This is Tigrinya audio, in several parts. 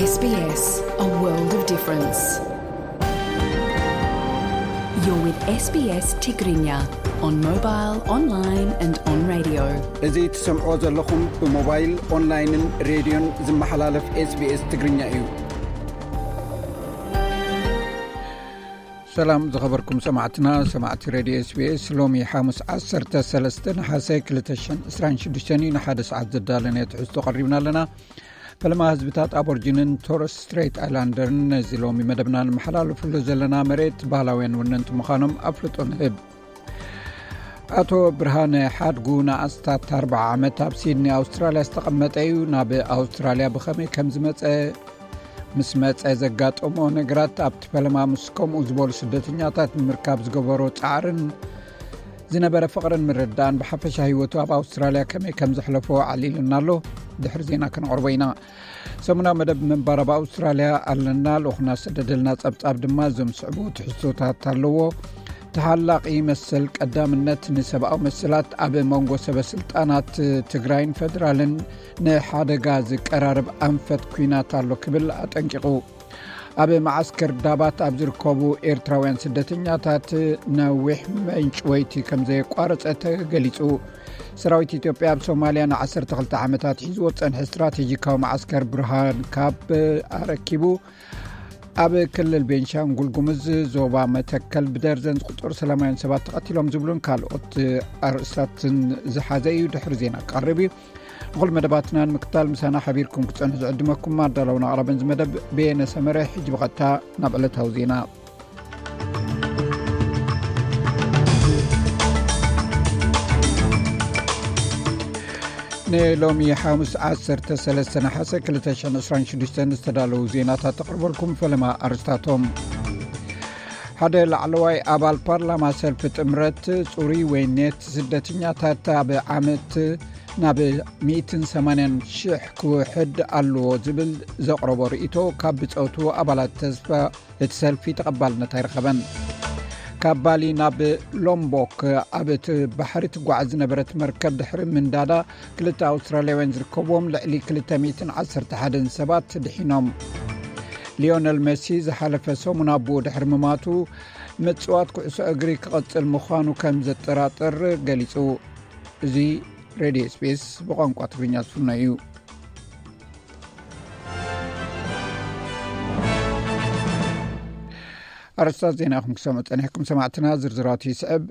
S B S, a world of difference. You're with S B S Tigrinya on mobile, online and on radio. እዚ ትሰምዖ ዘለኹም ብሞባይል፣ ኦንላይንን ሬድዮን ዝመሓላለፍ S B S ትግርኛ እዩ። ሰላም ዝኸበርኩም ሰማዕትና፣ ሰማዕቲ ሬድዮ S B S፣ ሎሚ ሓሙስ ዓሰርተ ሰለስተ ነሓሰ ክልተ ሽሕን ዕስራን ሽዱሽተን እዩ። ንሓደ ሰዓት ዘዳለናዮ ትሕዝቶ ቀሪብና ኣለና። ፈለማ ህዝብታት ኣቦርጂንን ቶረስ ስትሬት ኣይላንደርን ነዚ ሎሚ መደብና ንመሓላለፍሉ ዘለና መሬት ባህላውያን ወነንቲ ምዃኖም ኣፍልጦ ንህብ። ኣቶ ብርሃነ ሓድጉ ንኣስታት ኣርብዓ ዓመት ኣብ ሲድኒ ኣውስትራልያ ዝተቐመጠ እዩ። ናብ ኣውስትራልያ ብኸመይ ከም ዝመጸ፣ ምስ መጸ ዘጋጠሞ ነገራት፣ ኣብቲ ፈለማ ምስ ከምኡ ዝበሉ ስደተኛታት ንምርካብ ዝገበሮ ጻዕርን ዝነበረ ፍቕርን ምርዳእን፣ ብሓፈሻ ህይወቱ ኣብ ኣውስትራልያ ከመይ ከም ዘሕለፎ ኣዕሊልና ኣሎ። ድሕሪ ዜና ከነቕርቦ ኢና። ሰሙናዊ መደብ ምንባር ኣብ ኣውስትራልያ ኣለና። ልኡኽና ዝሰደደልና ጸብጻብ ድማ እዞም ዝስዕቡ ትሕዝቶታት ኣለዎ። ተሓላቒ መሰል ቀዳምነት ንሰብኣዊ መሰላት ኣብ መንጎ ሰበ ስልጣናት ትግራይን ፈደራልን ንሓደጋ ዝቀራረብ ኣንፈት ኲናት ኣሎ ክብል ኣጠንቂቑ። ኣብ መዓስከር ዳባት ኣብ ዝርከቡ ኤርትራውያን ስደተኛታት ነዊሕ ምንጭ ወይቲ ከም ዘየቋረጸ ተገሊጹ። ሰራዊት ኢትዮጵያ ኣብ ሶማልያ ንዓሰርተ ክልተ ዓመታት ሒዝዎ ዝጸንሐ ስትራቴጂካዊ መዓስከር ብርሃን ካብ ኣረኪቡ፣ ኣብ ክልል ቤንሻንጉል ጉሙዝ ዞባ መተከል ብደርዘን ዝቁጸሩ ሰላማውያን ሰባት ተቐቲሎም ዝብሉን ካልኦት ኣርእስታትን ዝሓዘ እዩ። ድሕሪ ዜና ክቐርብ እዩ። ንኹሉ መደባትና ንምክታል ምሳና ሓቢርኩም ክጸንሑ ዝዕድመኩም ኣዳለውን ኣቕራብን እዚ መደብ በየነ ሰመረ። ሕጂ ብቐጥታ ናብ ዕለታዊ ዜና። ንሎሚ ሓሙስ ዓሰርተ ሰለስተ ነሓሰ ክልተ ሽሕን ዕስራን ሽዱሽተን ዝተዳለዉ ዜናታት ተቕርበልኩም። ፈለማ ኣርስታቶም። ሓደ ላዕለዋይ ኣባል ፓርላማ ሰልፊ ጥምረት ጽሩይ ወይ ኔት ስደተኛታት ኣብ ዓመት ናብ ሚእትን ሰማንያን ሽሕ ክውሕድ ኣለዎ ዝብል ዘቕረቦ ርእይቶ ካብ ብጸቱ ኣባላት ተስፋ እቲ ሰልፊ ተቐባልነት ኣይረኸበን። ካብ ባሊ ናብ ሎምቦክ ኣብ እቲ ባሕሪ ትጓዓዝ ዝነበረት መርከብ ድሕሪ ምንዳዳ ክልተ ኣውስትራልያውያን ዝርከብዎም ልዕሊ ክልተ ሚእትን ዓሰርተ ሓደን ሰባት ድሒኖም። ሊዮነል መሲ ዝሓለፈ ሰሙን ኣቦኡ ድሕሪ ምማቱ ምጽዋት ኩዕሶ እግሪ ክቐጽል ምዃኑ ከም ዘጠራጥር ገሊጹ። እዚ ሬድዮ S B S ብቋንቋ ትግርኛ ዝፍኖ እዩ። ኣርእስታት ዜና ኢኹም ክሰምዑ ጸኒሕኩም ሰማዕትና። ዝርዝራቱ ይስዕብ።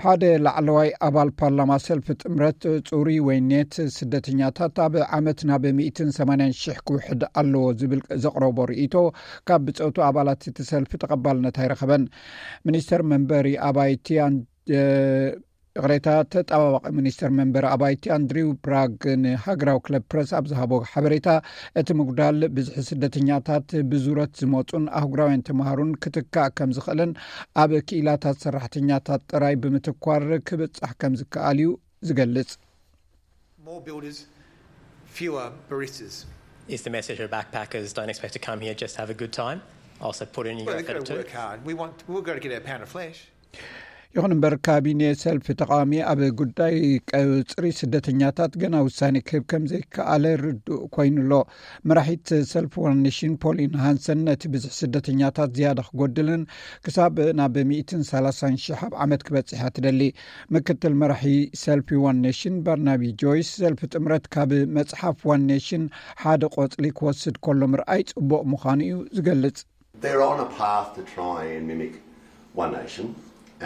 ሓደ ላዕለዋይ ኣባል ፓርላማ ሰልፊ ጥምረት ጽሩይ ወይ ኔት ስደተኛታት ኣብ ዓመት ናብ ሚእትን ሰማንያን ሽሕ ክውሕድ ኣለዎ ዝብል ዘቕረቦ ርእይቶ ካብ ብጸቱ ኣባላት እቲ ሰልፊ ተቐባልነት ኣይረኸበን። ሚኒስተር መንበሪ ኣባይቲ ኣን-፣ እ፣ ይቕሬታ፣ ተጣባባቒ ሚኒስተር መንበሪ ኣባይቲ ኣንድሪው ብራግ ንሃገራዊ ክለብ ፕረስ ኣብ ዝሃቦ ሓበሬታ፣ እቲ ምጉዳል ብዝሒ ስደተኛታት ብዙረት ዝመጹን ኣህጉራውያን ተምሃሩን ክትካእ ከም ዝኽእልን ኣብ ክኢላታት ሰራሕተኛታት ጥራይ ብምትኳር ክብጻሕ ከም ዝከኣል እዩ ዝገልጽ። More builders, fewer baristas. Is the message of backpackers don't expect to come here, just have a good time? Also put in your Well, they've got effort to too. Work hard. We want, we've got to get our pound of flesh. ይኹን እምበር፣ ካቢኔ ሰልፊ ተቃዋሚ ኣብ ጉዳይ ቀጽሪ ስደተኛታት ገና ውሳኔ ክህብ ከም ዘይከኣለ ርዱእ ኮይኑ ኣሎ። መራሒት ሰልፊ ዋን ኔሽን ፖሊን ሃንሰን፣ ነቲ ብዝሒ ስደተኛታት ዝያዳ ክጎድልን ክሳብ ናብ ሚእትን ሰላሳን ሽሕ ኣብ ዓመት ክበጽሕ እያ ትደሊ። ምክትል መራሒ ሰልፊ ዋን ኔሽን ባርናቢ ጆይስ፣ ሰልፊ ጥምረት ካብ መጽሓፍ ዋን ኔሽን ሓደ ቆጽሊ ክወስድ ከሎ ምርኣይ ጽቡቕ ምዃኑ እዩ ዝገልጽ። They're on a path to try and mimic One Nation,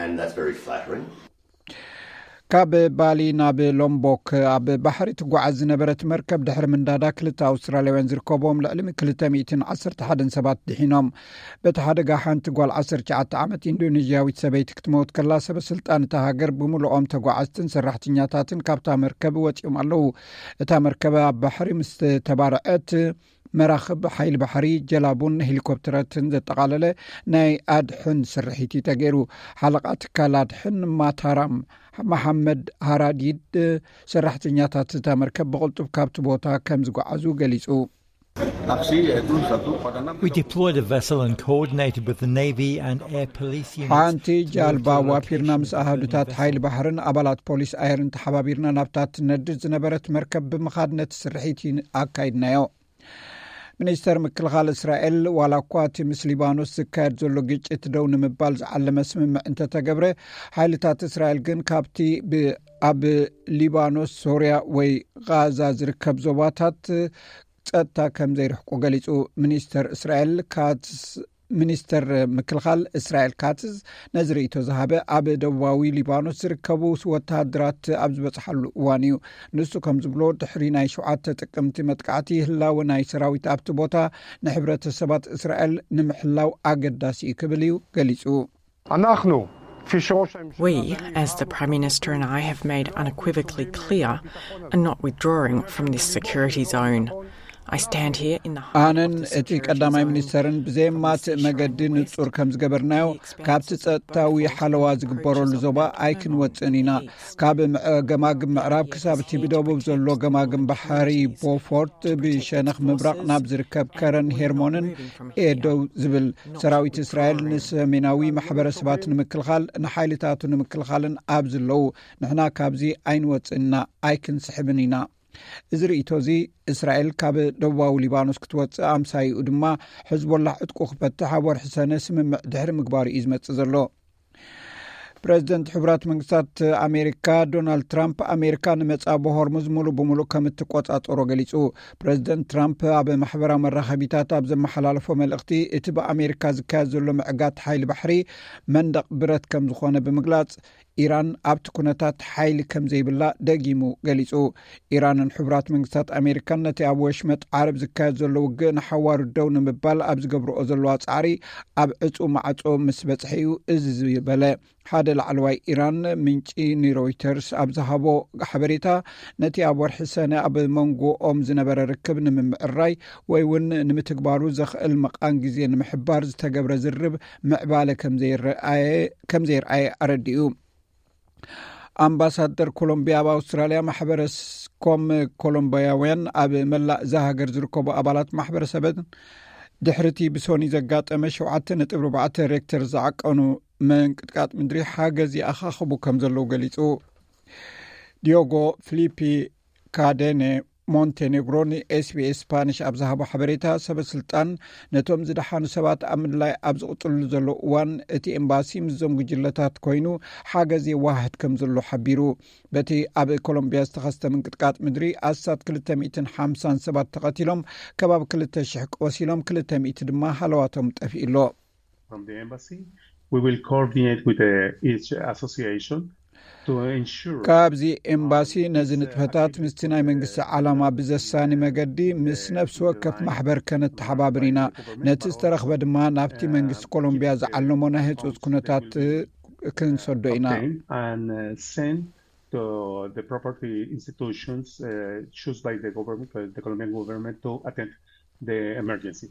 and that's very flattering. ካብ ባሊ ናብ ሎምቦክ ኣብ ባሕሪ ትጓዓዝ ዝነበረት መርከብ ድሕሪ ምንዳዳ ክልተ ኣውስትራልያውያን ዝርከብዎም ልዕሊ ክልተ ሚእትን ዓሰርተ ሓደን ሰባት ድሒኖም። በቲ ሓደጋ ሓንቲ ጓል ዓሰርተ ትሽዓተ ዓመት ኢንዶኔዥያዊት ሰበይቲ ክትመውት ከላ፣ ሰበ ስልጣን እታ ሃገር ብምልኦም ተጓዓዝትን ሰራሕተኛታትን ካብታ መርከብ ወጺኦም ኣለዉ። እታ መርከብ ኣብ ባሕሪ ምስ ተባርዐት፣ መራኽብ ሓይሊ ባሕሪ፣ ጀላቡን ሄሊኮፕተራትን ዘጠቓለለ ናይ ኣድሕን ስርሒት እዩ ተገይሩ። ሓለቓ ትካል ኣድሕን ማታራም መሓመድ ሃራዲድ፣ ሰራሕተኛታት እታ መርከብ ብቕልጡፍ ካብቲ ቦታ ከም ዝጓዓዙ ገሊጹ። We deployed a vessel and coordinated with the Navy and Air Police units. ሓንቲ ጃልባ ዋፊርና ምስ ኣሃዱታት ሓይሊ ባሕርን ኣባላት ፖሊስ ኣየርን ተሓባቢርና ናብታ ትነድድ ዝነበረት መርከብ ብምኻድ ነቲ ስርሒት ኣካይድናዮ። ሚኒስተር ምክልኻል እስራኤል፣ ዋላ እኳ እቲ ምስ ሊባኖስ ዝካየድ ዘሎ ግጭት ደው ንምባል ዝዓለመ ስምምዕ እንተተገብረ፣ ሓይልታት እስራኤል ግን ካብቲ ብ-፣ ኣብ ሊባኖስ፣ ሶርያ ወይ ጋዛ ዝርከብ ዞባታት ጸጥታ ከም ዘይርሕቁ ገሊጹ። ሚኒስተር እስራኤል ካትዝ፣ ሚኒስተር ምክልኻል እስራኤል ካትዝ ነዚ ርእይቶ ዝሃበ ኣብ ደቡባዊ ሊባኖስ ዝርከቡ ወተሃደራት ኣብ ዝበጽሓሉ እዋን እዩ። ንሱ ከም ዝብሎ፣ ድሕሪ ናይ ሸውዓተ ጥቅምቲ መጥቃዕቲ፣ ህላወ ናይ ሰራዊት ኣብቲ ቦታ ንሕብረተሰባት እስራኤል ንምሕላው ኣገዳሲ እዩ ክብል እዩ ገሊጹ። אנחנו, כפי שראש הממשלה... We, as the Prime Minister and I have made unequivocally clear, are not withdrawing from this security zone. I stand here in the heart of ኣነን the እቲ security ቀዳማይ zone. ሚኒስተርን ብዘየማትእ መገዲ ንጹር ከም ዝገበርናዮ፣ ካብቲ ጸጥታዊ ሓለዋ ዝግበረሉ ዞባ ኣይክንወጽእን ኢና። ካብ ምዕ-፣ ገማግም ምዕራብ ክሳብ እቲ ብደቡብ ዘሎ ገማግም ባሕሪ ቦፎርት፣ ብሸነኽ ምብራቕ ናብ ዝርከብ ከረን ሄርሞንን እየ ደው ዝብል። ሰራዊት እስራኤል ንሰሜናዊ ማሕበረሰባት ንምክልኻል፣ ንሓይልታቱ ንምክልኻልን ኣብ ዝለዉ፣ ንሕና ካብዚ ኣይንወጽእን ኢና፣ ኣይክንስሕብን ኢና። እዚ ርእይቶ እዚ፣ እስራኤል ካብ ደቡባዊ ሊባኖስ ክትወጽእ፣ ኣምሳይኡ ድማ ሕዝቦላህ ዕጥቁ ክፈትሕ ኣብ ወርሒ ሰነ ስምምዕ ድሕሪ ምግባሩ እዩ ዝመጽእ ዘሎ። ፕረዚደንት ሕቡራት መንግስታት ኣሜሪካ ዶናልድ ትራምፕ፣ ኣሜሪካ ንመጻጎ ሆርሙዝ ሙሉእ ብሙሉእ ከም እትቆጻጸሮ ገሊጹ። ፕረዚደንት ትራምፕ ኣብ ማሕበራዊ መራኸቢታት ኣብ ዘመሓላለፎ መልእኽቲ፣ እቲ ብኣሜሪካ ዝካየድ ዘሎ ምዕጋት ሓይሊ ባሕሪ መንደቕ ብረት ከም ዝኾነ ብምግላጽ፣ ኢራን ኣብቲ ኩነታት ሓይሊ ከም ዘይብላ ደጊሙ ገሊጹ። ኢራንን ሕቡራት መንግስታት ኣሜሪካን ነቲ ኣብ ወሽመጥ ዓረብ ዝካየድ ዘሎ ውግእ ንሓዋሩ ደው ንምባል ኣብ ዝገብርኦ ዘለዋ ጻዕሪ፣ ኣብ ዕጹ ማዕጾ ምስ በጽሐ እዩ እዚ ዝበለ። ሓደ ላዕለዋይ ኢራን ምንጪ ንሮይተርስ ኣብ ዝሃቦ ሓበሬታ፣ ነቲ ኣብ ወርሒ ሰነ ኣብ መንጎኦም ዝነበረ ርክብ ንምምዕራይ ወይ እውን ንምትግባሩ ዘኽእል መቓን ግዜ ንምሕባር ዝተገብረ ዝርብ ምዕባለ ከም ዘይረኣየ፣ ከም ዘይረኣየ ኣረዲኡ። ኣምባሳደር ኮሎምቢያ ኣብ ኣውስትራልያ፣ ማሕበረሰብ ኮም ኮሎምቢያውያን ኣብ መላእ እዛ ሃገር ዝርከቡ ኣባላት ማሕበረሰብን ድሕሪቲ ብሶኒ ዘጋጠመ ሸውዓተ ነጥቢ ኣርባዕተ ሬክተር ዝዓቀኑ ምንቅጥቃጥ ምድሪ ሓገዝ ይኣኻኽቡ ከም ዘለዉ ገሊጹ። ዲዮጎ ፊሊፒ ካደነ ሞንቴኔግሮ ንኤስቢኤስ ስፓኒሽ ኣብ ዝሃቦ ሓበሬታ፣ ሰበ ስልጣን ነቶም ዝደሓኑ ሰባት ኣብ ምድላይ ኣብ ዝቕጽልሉ ዘሎ እዋን፣ እቲ ኤምባሲ ምስዞም ጉጅለታት ኮይኑ ሓገዝ የዋህድ ከም ዘሎ ሓቢሩ። በቲ ኣብ ኮሎምቢያ ዝተኸስተ ምንቅጥቃጥ ምድሪ፣ ኣስታት ክልተ ሚእትን ሓምሳን ሰባት ተቐቲሎም፣ ከባቢ ክልተ ሽሕ ቆሲሎም፣ ክልተ ሚእቲ ድማ ሃለዋቶም ጠፊኡ ኣሎ። From the embassy, we will coordinate with the, each association to ensure... ካብዚ ኤምባሲ ነዚ ንጥፈታት ምስቲ ናይ መንግስቲ ዓላማ ብዘሳኒ መገዲ ምስ ነፍሲ ወከፍ ማሕበር ከነተሓባብር ኢና። ነቲ ዝተረኽበ ድማ ናብቲ መንግስቲ ኮሎምቢያ ዝዓለሞ ናይ ህጹጽ ኩነታት ክንሰዶ ኢና። Obtain and, uh, send to the property institutions, uh, choose by the government, uh, the Colombian government to attend the emergency.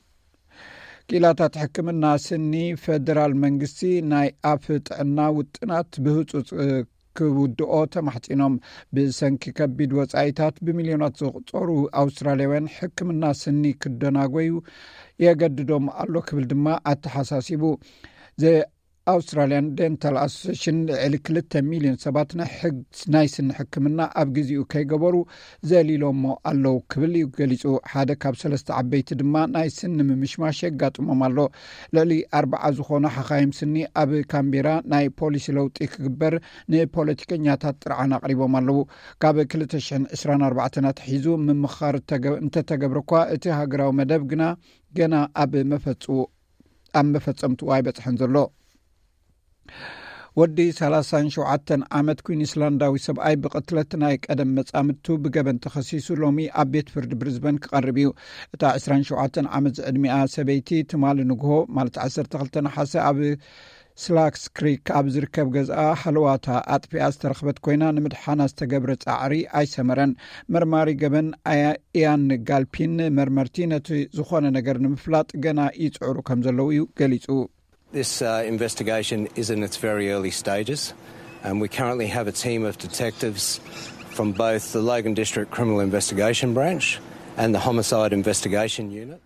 ክኢላታት ሕክምና ስኒ፣ ፈደራል መንግስቲ ናይ ኣፍ ጥዕና ውጥናት ብህጹጽ ክውድኦ ተማሕጺኖም። ብሰንኪ ከቢድ ወጻኢታት ብሚልዮናት ዝቑጸሩ ኣውስትራልያውያን ሕክምና ስኒ ክደናጎዩ የገድዶም ኣሎ ክብል ድማ ኣተሓሳሲቡ። ዘ ኣውስትራልያን ደንታል ኣሶሴሽን፣ ልዕሊ ክልተ ሚልዮን ሰባት ናይ ሕግ-፣ ናይ ስኒ ሕክምና ኣብ ግዜኡ ከይገበሩ ዘሊሎሞ ኣለዉ ክብል እዩ ገሊጹ። ሓደ ካብ ሰለስተ ዓበይቲ ድማ ናይ ስኒ ምምሽማሽ የጋጥሞም ኣሎ። ልዕሊ ኣርባዓ ዝኾኑ ሓኻይም ስኒ ኣብ ካምቤራ ናይ ፖሊሲ ለውጢ ክግበር ንፖለቲከኛታት ጥርዓን ኣቕሪቦም ኣለዉ። ካብ ክልተ ሽሕን ዕስራን ኣርባዕተን ኣትሒዙ ምምኻር እተገ-፣ እንተተገብረ እኳ፣ እቲ ሃገራዊ መደብ ግና ገና ኣብ መፈጽ-፣ ኣብ መፈጸምትኡ ኣይበጽሐን ዘሎ። ወዲ ሰላሳን ሸውዓተን ዓመት ኩዊንስላንዳዊ ሰብኣይ ብቕትለት ናይ ቀደም መጻምድቱ ብገበን ተኸሲሱ ሎሚ ኣብ ቤት ፍርዲ ብሪዝበን ክቐርብ እዩ። እታ ዕስራን ሸውዓተን ዓመት ዝዕድሚኣ ሰበይቲ ትማሊ ንግሆ፣ ማለት ዓሰርተ ክልተ ነሓሰ፣ ኣብ ስላክስ ክሪክ ኣብ ዝርከብ ገዝኣ ሃለዋታ ኣጥፊኣ ዝተረኽበት ኮይና፣ ንምድሓና ዝተገብረ ጻዕሪ ኣይሰመረን። መርማሪ ገበን ኣያ-፣ ኢያን ጋልፒን፣ መርመርቲ ነቲ ዝኾነ ነገር ንምፍላጥ ገና ይጽዕሩ ከም ዘለዉ እዩ ገሊጹ። This, uh, investigation is in its very early stages, and we currently have a team of detectives from both the Logan District Criminal Investigation Branch and the Homicide Investigation Unit.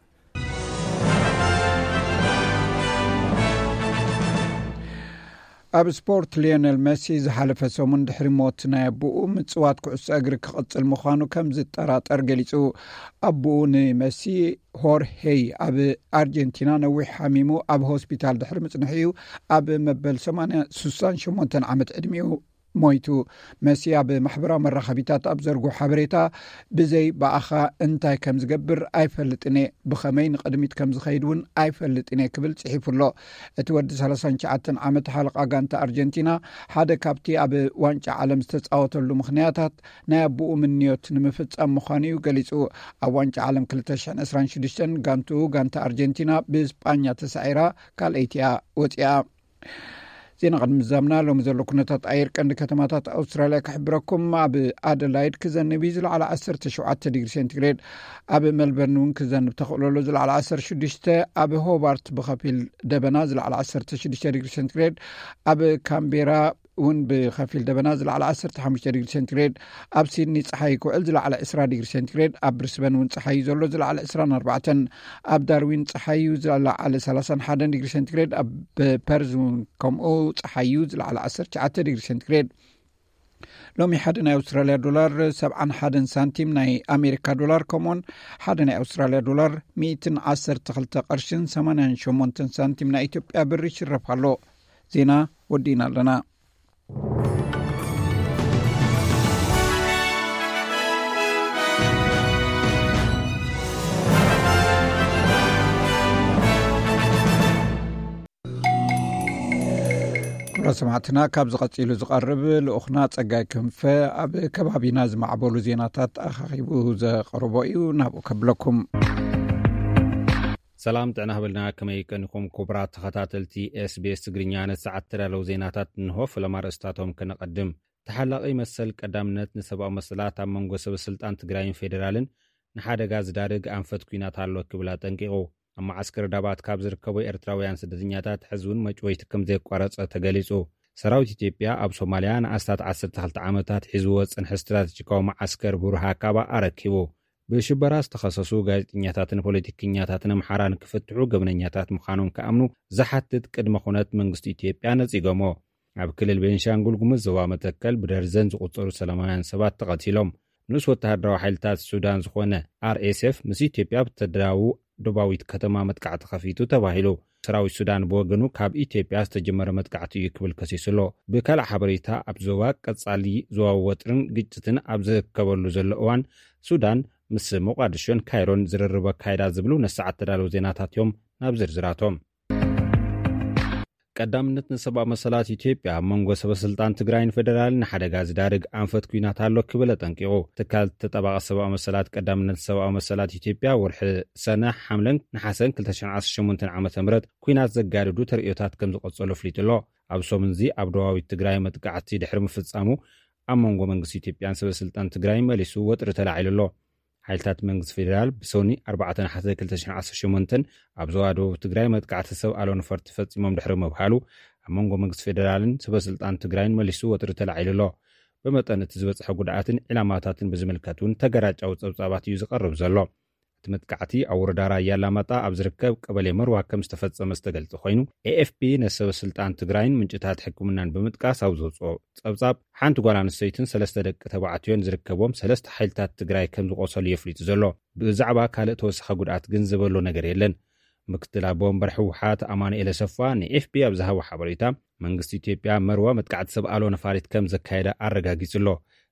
ኣብ ስፖርት፣ ሊዮነል መሲ ዝሓለፈ ሰሙን ድሕሪ ሞት ናይ ኣቦኡ ምጽዋት ኩዕሶ እግሪ ክቕጽል ምዃኑ ከም ዝጠራጠር ገሊጹ። ኣቦኡ ንመሲ፣ ሆርሄይ፣ ኣብ ኣርጀንቲና ነዊሕ ሓሚሙ ኣብ ሆስፒታል ድሕሪ ምጽንሑ እዩ ኣብ መበል ሰማንያ ሱሳን ሸሞንተን ዓመት ዕድሚኡ ሞይቱ። መሲ ኣብ ማሕበራዊ መራኸቢታት ኣብ ዘርግሑ ሓበሬታ፣ ብዘይ ብኣኻ እንታይ ከም ዝገብር ኣይፈልጥን እየ፣ ብኸመይ ንቕድሚት ከም ዝኸይድ እውን ኣይፈልጥን እየ ክብል ጽሒፉ ኣሎ። እቲ ወዲ ሰላሳን ትሽዓተን ዓመት ሓለቓ ጋንታ ኣርጀንቲና፣ ሓደ ካብቲ ኣብ ዋንጫ ዓለም ዝተጻወተሉ ምኽንያታት ናይ ኣቦኡ ምንዮት ንምፍጻም ምዃኑ እዩ ገሊጹ። ኣብ ዋንጫ ዓለም ክልተ ሽሕን ዕስራን ሽዱሽተን ጋንትኡ፣ ጋንታ ኣርጀንቲና ብስጳኛ ተሳዒራ ካልኣይቲ እያ ወጺኣ። ዜና ቅድሚ ምዛምና፣ ሎሚ ዘሎ ኩነታት ኣየር ቀንዲ ከተማታት ኣውስትራልያ ክሕብረኩም። ኣብ ኣደላይድ ክዘንብ እዩ፣ ዝለዓለ ዓሰርተ ሸውዓተ ዲግሪ ሴንቲግሬድ። ኣብ ሜልበርን እውን ክዘንብ ተኽእሎ ኣሎ፣ ዝለዓለ ዓሰርተ ሽዱሽተ። ኣብ ሆባርት ብኸፊል ደበና፣ ዝለዓለ ዓሰርተ ሽዱሽተ ዲግሪ ሴንቲግሬድ። ኣብ ካምቤራ እውን ብኸፊል ደበና፣ ዝለዓለ ዓሰርተ ሓሙሽተ ዲግሪ ሴንቲግሬድ። ኣብ ሲድኒ ጸሓይ ክውዕል፣ ዝለዓለ ዕስራ ዲግሪ ሴንቲግሬድ። ኣብ ብሪስበን እውን ጸሓይ እዩ ዘሎ፣ ዝለዓለ ዕስራን ኣርባዕተን። ኣብ ዳርዊን ጸሓይ እዩ፣ ዝለዓለ ሰላሳን ሓደን ዲግሪ ሴንቲግሬድ። ኣብ ፐርዝ እውን ከምኡ ጸሓይ እዩ፣ ዝለዓለ ዓሰርተ ትሽዓተ ዲግሪ ሴንቲግሬድ። ሎሚ ሓደ ናይ ኣውስትራልያ ዶላር ሰብዓን ሓደን ሳንቲም ናይ ኣሜሪካ ዶላር፣ ከምኡውን ሓደ ናይ ኣውስትራልያ ዶላር ሚእትን ዓሰርተ ክልተ ቅርሽን ሰማንያን ሸሞንተን ሳንቲም ናይ ኢትዮጵያ ብር ይሽረፍ ኣሎ። ዜና ወዲእና ኣለና። ክቡራት ሰማዕትና፣ ካብዚ ቀጺሉ ዝቐርብ ልኡኽና ጸጋይ ክንፈ ኣብ ከባቢና ዝማዕበሉ ዜናታት ኣኻኺቡ ዘቕርቦ እዩ። ናብኡ ከብለኩም። ሰላም ጥዕና ህበልና፣ ከመይ ቀኒኹም ክቡራት ተኸታተልቲ ኤስቢኤስ ትግርኛ? ነቲ ሰዓት ተዳለዉ ዜናታት እንሆ። ፈለማ ርእስታቶም ከነቐድም። ተሓላቒ መሰል ቀዳምነት ንሰብኣዊ መሰላት ኣብ መንጎ ሰበ ስልጣን ትግራይን ፌዴራልን ንሓደጋ ዝዳርግ ኣንፈት ኲናት ኣሎ ክብል ኣጠንቂቑ። ኣብ መዓስከር ዳባት ካብ ዝርከቡ ኤርትራውያን ስደተኛታት ሕዚ እውን መጭወይቲ ከም ዘየቋረጸ ተገሊጹ። ሰራዊት ኢትዮጵያ ኣብ ሶማልያ ንኣስታት ዓሰርተ ክልተ ዓመታት ሒዝዎ ዝጸንሐ ስትራተጂካዊ መዓስከር ቡርሃ ካባ ኣረኪቡ። ብሽበራ ዝተኸሰሱ ጋዜጠኛታትን ፖለቲከኛታትን ኣምሓራ ንክፍትሑ ገበነኛታት ምዃኖም ክኣምኑ ዝሓትት ቅድመ ኩነት መንግስቲ ኢትዮጵያ ነጺጎሞ። ኣብ ክልል ቤንሻንጉል ጉሙዝ ዞባ መተከል ብደርዘን ዝቑጸሩ ሰላማውያን ሰባት ተቐቲሎም። ንኡስ ወተሃደራዊ ሓይልታት ሱዳን ዝኾነ ኣርኤስኤፍ ምስ ኢትዮጵያ ብተዳዉ ደቡባዊት ከተማ መጥቃዕቲ ከፊቱ ተባሂሉ። ሰራዊት ሱዳን ብወገኑ ካብ ኢትዮጵያ ዝተጀመረ መጥቃዕቲ እዩ ክብል ከሲሱ ኣሎ። ብካልእ ሓበሬታ፣ ኣብ ዞባ ቀጻሊ ዞባዊ ወጥርን ግጭትን ኣብ ዝርከበሉ ዘሎ እዋን፣ ሱዳን ምስ ሞቃድሾን ካይሮን ዝርርብ ኣካይዳ ዝብሉ ነሰዓት ተዳለዉ ዜናታት እዮም። ናብ ዝርዝራቶም። ቀዳምነት ንሰብኣዊ መሰላት ኢትዮጵያ ኣብ መንጎ ሰበ ስልጣን ትግራይን ፌደራልን ንሓደጋ ዝዳርግ ኣንፈት ኲናት ኣሎ ክብል ኣጠንቂቑ። ትካል ተጠባቒ ሰብኣዊ መሰላት ቀዳምነት ሰብኣዊ መሰላት ኢትዮጵያ ወርሒ ሰነ፣ ሓምለን ነሓሰን ክልተ ሽሕን ዓሰርተ ሸሞንተን ዓመተ ምህረት ኲናት ዘጋድዱ ተርእዮታት ከም ዝቐጸሉ ኣፍሊጡ ኣሎ። ኣብ ሰሙን እዚ ኣብ ደቡባዊት ትግራይ መጥቃዕቲ ድሕሪ ምፍጻሙ ኣብ መንጎ መንግስቲ ኢትዮጵያን ሰበ ስልጣን ትግራይን መሊሱ ወጥሪ ተላዒሉ ኣሎ። ሓይልታት መንግስቲ ፌደራል ብሰኒ ኣርባዕተ ነሓሰ ክልተ ሽሕን ዓሰርተ ሸሞንተን ኣብ ዞባ ደቡብ ትግራይ መጥቃዕቲ ሰብ ኣልቦ ነፈርቲ ፈጺሞም ድሕሪ ምብሃሉ፣ ኣብ መንጎ መንግስቲ ፌደራልን ሰበ ስልጣን ትግራይን መሊሱ ወጥሪ ተላዒሉ ኣሎ። ብመጠን እቲ ዝበጽሐ ጉድኣትን ዕላማታትን ብዝምልከት እውን ተገራጫዊ ጸብጻባት እዩ ዝቐርብ ዘሎ። እቲ መጥቃዕቲ ኣብ ወረዳ ራያ ኣላማጣ ኣብ ዝርከብ ቀበሌ መርዋ ከም ዝተፈጸመ ዝተገልጸ ኮይኑ፣ ኤኤፍፒ ነሰበ ስልጣን ትግራይን ምንጭታት ሕክምናን ብምጥቃስ ኣብ ዘውፅኦ ጸብጻብ፣ ሓንቲ ጓል ኣንስተይትን ሰለስተ ደቂ ተባዕትዮን ዝርከቦም ሰለስተ ሓይልታት ትግራይ ከም ዝቆሰሉ የፍሊጡ ዘሎ። ብዛዕባ ካልእ ተወሳኺ ጉድኣት ግን ዝበሎ ነገር የለን። ምክትል ኣቦ ወንበር ህወሓት ኣማኑኤል ኣሰፋ ንኤፍፒ ኣብ ዝሃቦ ሓበሬታ፣ መንግስቲ ኢትዮጵያ መርዋ መጥቃዕቲ ሰብ ኣልቦ ነፋሪት ከም ዘካየደ ኣረጋጊጹ ኣሎ።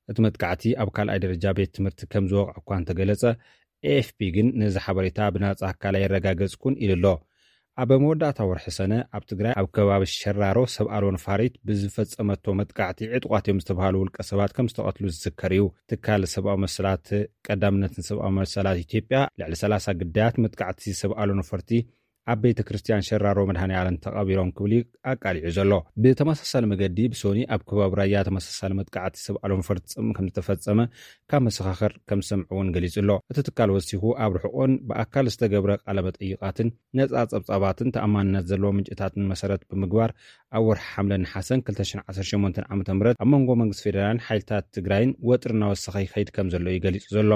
እቲ መጥቃዕቲ ኣብ ካልኣይ ደረጃ ቤት ትምህርቲ ከም ዝወቕዐ እኳ እንተገለጸ፣ ኤኤፍፒ ግን ነዚ ሓበሬታ ብናጻ ኣካል ኣየረጋገጽኩን ኢሉ ኣሎ። ኣብ መወዳእታ ወርሒ ሰነ ኣብ ትግራይ ኣብ ከባቢ ሸራሮ ሰብ ኣልቦ ነፋሪት ብዝፈጸመቶ መጥቃዕቲ ዕጡቓት እዮም ዝተባህሉ ውልቀ ሰባት ከም ዝተቐትሉ ዝዝከር እዩ። ትካል ሰብኣዊ መሰላት ቀዳምነትን ሰብኣዊ መሰላት ኢትዮጵያ ልዕሊ ሰላሳ ግዳያት መጥቃዕቲ ሰብ ኣልቦ ነፈርቲ ኣብ ቤተ ክርስቲያን ሸራሮ መድኃኔ ዓለም ተቐቢሮም ክብል እዩ ኣቃሊዑ ዘሎ። ብተመሳሳሊ መገዲ ብሶኒ ኣብ ከባቢ ራያ ተመሳሳሊ መጥቃዕቲ ሰብ ኣልቦ ነፈርቲ ጽምእ ከም ዝተፈጸመ ካብ መሰኻኽር ከም ዝሰምዑ እውን ገሊጹ ኣሎ። እቲ ትካል ወሲኹ ኣብ ርሑቕን ብኣካል ዝተገብረ ቃለ መጠይቓትን ነጻ ጸብጻባትን ተኣማንነት ዘለዎ ምንጭታትን መሰረት ብምግባር ኣብ ወርሒ ሓምለን ነሓሰን ክልተ ሽሕን ዓሰርተ ሸሞንተን ዓመተ ምህረት ኣብ መንጎ መንግስቲ ፌደራልን ሓይልታት ትግራይን ወጥሪ እናወሰኸ ይኸይድ ከም ዘሎ እዩ ገሊጹ ዘሎ።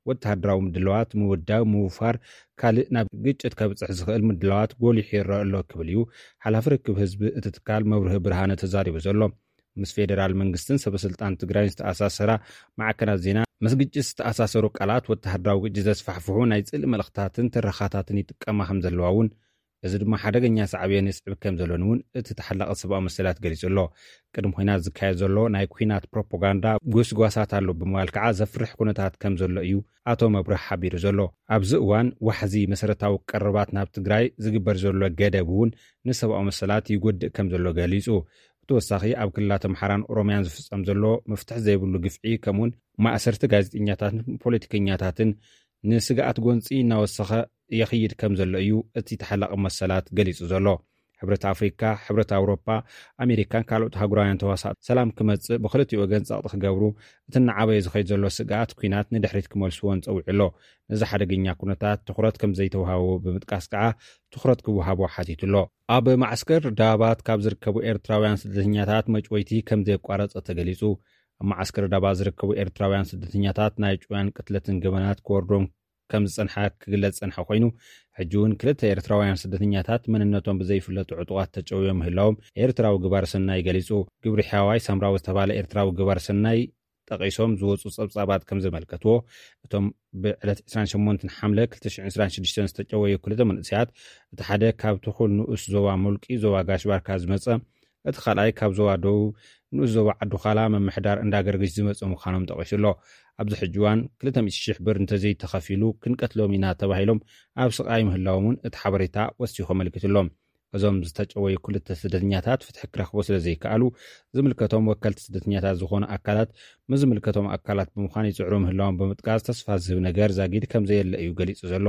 ወተሃደራዊ ምድላዋት ምውዳብ፣ ምውፋር፣ ካልእ ናብ ግጭት ከብጽሕ ዝኽእል ምድላዋት ጎሊሑ ይረአ ኣሎ ክብል እዩ ሓላፊ ርክብ ህዝቢ እቲ ትካል መብርሂ ብርሃነ ተዛሪቡ ዘሎ። ምስ ፌደራል መንግስትን ሰበስልጣን ትግራይን ዝተኣሳሰራ ማዕከናት ዜና፣ ምስ ግጭት ዝተኣሳሰሩ ቃላት፣ ወተሃደራዊ ግጭት ዘስፋሕፍሑ ናይ ጽልኢ መልእኽታትን ትረኻታትን ይጥቀማ ከም ዘለዋ እውን፣ እዚ ድማ ሓደገኛ ሳዕቤን የስዕብ ከም ዘሎን እውን እቲ ተሓላቒ ሰብኣዊ መሰላት ገሊጹ ኣሎ። ቅድሚ ኲናት ዝካየድ ዘሎ ናይ ኲናት ፕሮፓጋንዳ ጎስጓሳት ኣሎ ብምባል ከዓ ዘፍርሕ ኩነታት ከም ዘሎ እዩ ኣቶ መብርህ ሓቢሩ ዘሎ። ኣብዚ እዋን ዋሕዚ መሰረታዊ ቀረባት ናብ ትግራይ ዝግበር ዘሎ ገደብ እውን ንሰብኣዊ መሰላት ይጎድእ ከም ዘሎ ገሊጹ። ብተወሳኺ ኣብ ክልላት ኣምሓራን ኦሮምያን ዝፍጸም ዘሎ መፍትሒ ዘይብሉ ግፍዒ፣ ከምኡውን ማእሰርቲ ጋዜጠኛታትን ፖለቲከኛታትን ንስግኣት ጎንፂ እናወሰኸ ይኽይድ ከም ዘሎ እዩ እቲ ተሓላቒ መሰላት ገሊጹ ዘሎ። ሕብረት ኣፍሪካ፣ ሕብረት ኣውሮፓ፣ ኣሜሪካን ካልኦት ኣህጉራውያን ተዋሳእቲ ሰላም ክመጽእ ብክልቲኡ ወገን ጸቕጢ ክገብሩ፣ እቲ እናዓበየ ዝኸይድ ዘሎ ስግኣት ኲናት ንድሕሪት ክመልስዎን ጸዊዑ ኣሎ። ነዚ ሓደገኛ ኩነታት ትኹረት ከም ዘይተውሃቦ ብምጥቃስ ከዓ ትኹረት ክወሃቦ ሓቲቱ ኣሎ። ኣብ ማዕስከር ዳባት ካብ ዝርከቡ ኤርትራውያን ስደተኛታት መጭወይቲ ከም ዘየቋረጸ ተገሊጹ። ኣብ ማዕስከር ዳባት ዝርከቡ ኤርትራውያን ስደተኛታት ናይ ጭውያን ቅትለትን ገበናት ክወርዶም ከም ዝጸንሐ ክግለጽ ጸንሐ ኮይኑ፣ ሕጂ እውን ክልተ ኤርትራውያን ስደተኛታት መንነቶም ብዘይፍለጡ ዕጡቓት ተጨውዮም ምህላዎም ኤርትራዊ ግባር ሰናይ ገሊጹ። ግብሪ ሕያዋይ ሳምራዊ ዝተባለ ኤርትራዊ ግባር ሰናይ ጠቒሶም ዝወጹ ጸብጻባት ከም ዘመልከትዎ፣ እቶም ብዕለት ዕስራን ሸሞንተን ሓምለ ክልተ ሽሕን ዕስራን ሽዱሽተን ዝተጨወዩ ክልተ መንእሰያት፣ እቲ ሓደ ካብ ትኹል ንኡስ ዞባ ሙልቂ ዞባ ጋሽ ባርካ ዝመጸ፣ እቲ ካልኣይ ካብ ዞባ ደቡብ ንኡስ ዞባ ዓዲ ዃላ ምምሕዳር እንዳገርግሽ ዝመጸ ምዃኖም ጠቒሱ ኣሎ። ኣብዚ ሕጂ እዋን ክልተ ሚእቲ ሺሕ ብር እንተዘይተኸፊሉ ክንቀትሎም ኢና ተባሂሎም ኣብ ስቓይ ምህላዎም እውን እቲ ሓበሬታ ወሲኹ ኣመልኪቱ ኣሎ። እዞም ዝተጨወዩ ክልተ ስደተኛታት ፍትሒ ክረኽቡ ስለ ዘይከኣሉ፣ ዝምልከቶም ወከልቲ ስደተኛታት ዝኾኑ ኣካላት ምስ ዝምልከቶም ኣካላት ብምዃን ይጽዕሩ ምህላዎም ብምጥቃስ፣ ተስፋ ዝህብ ነገር ዛጊድ ከም ዘየለ እዩ ገሊጹ ዘሎ።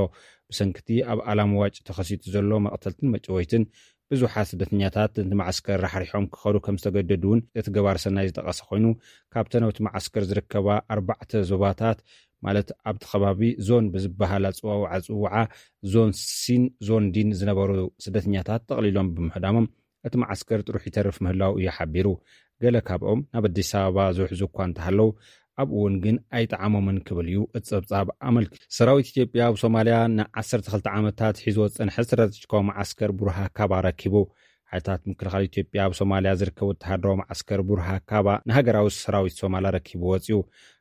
ብሰንኪ እቲ ኣብ ኣላምዋጭ ተኸሲቱ ዘሎ መቕተልትን መጨወይትን፣ ብዙሓት ስደተኛታት ነቲ መዓስከር ራሕሪሖም ክኸዱ ከም ዝተገደዱ እውን እቲ ገባር ሰናይ ዝጠቐሰ ኮይኑ፣ ካብተን ኣብቲ መዓስከር ዝርከባ ኣርባዕተ ዞባታት፣ ማለት ኣብቲ ከባቢ ዞን ብዝበሃል ኣጽዋውዓ ጽውዓ፣ ዞን ሲን ዞን ዲን ዝነበሩ ስደተኛታት ጠቕሊሎም ብምሕዳሞም፣ እቲ መዓስከር ጥሩሕ ይተርፍ ምህላው እዩ ሓቢሩ። ገለ ካብኦም ናብ ኣዲስ ኣበባ ዝውሕዙ እኳ እንተሃለዉ፣ ኣብኡ እውን ግን ኣይጠዓሞምን ክብል እዩ እቲ ጸብጻብ ኣመልኪቱ። ሰራዊት ኢትዮጵያ ኣብ ሶማልያ ንዓሰርተ ክልተ ዓመታት ሒዝዎ ዝጸንሐ ስትራቴጂካዊ መዓስከር ቡርሃ ካባ ረኪቡ። ሓይልታት ምክልኻል ኢትዮጵያ ኣብ ሶማልያ ዝርከብ ወተሃደራዊ መዓስከር ቡርሃ ካባ ንሃገራዊ ሰራዊት ሶማልያ ረኪቡ ወጺኡ።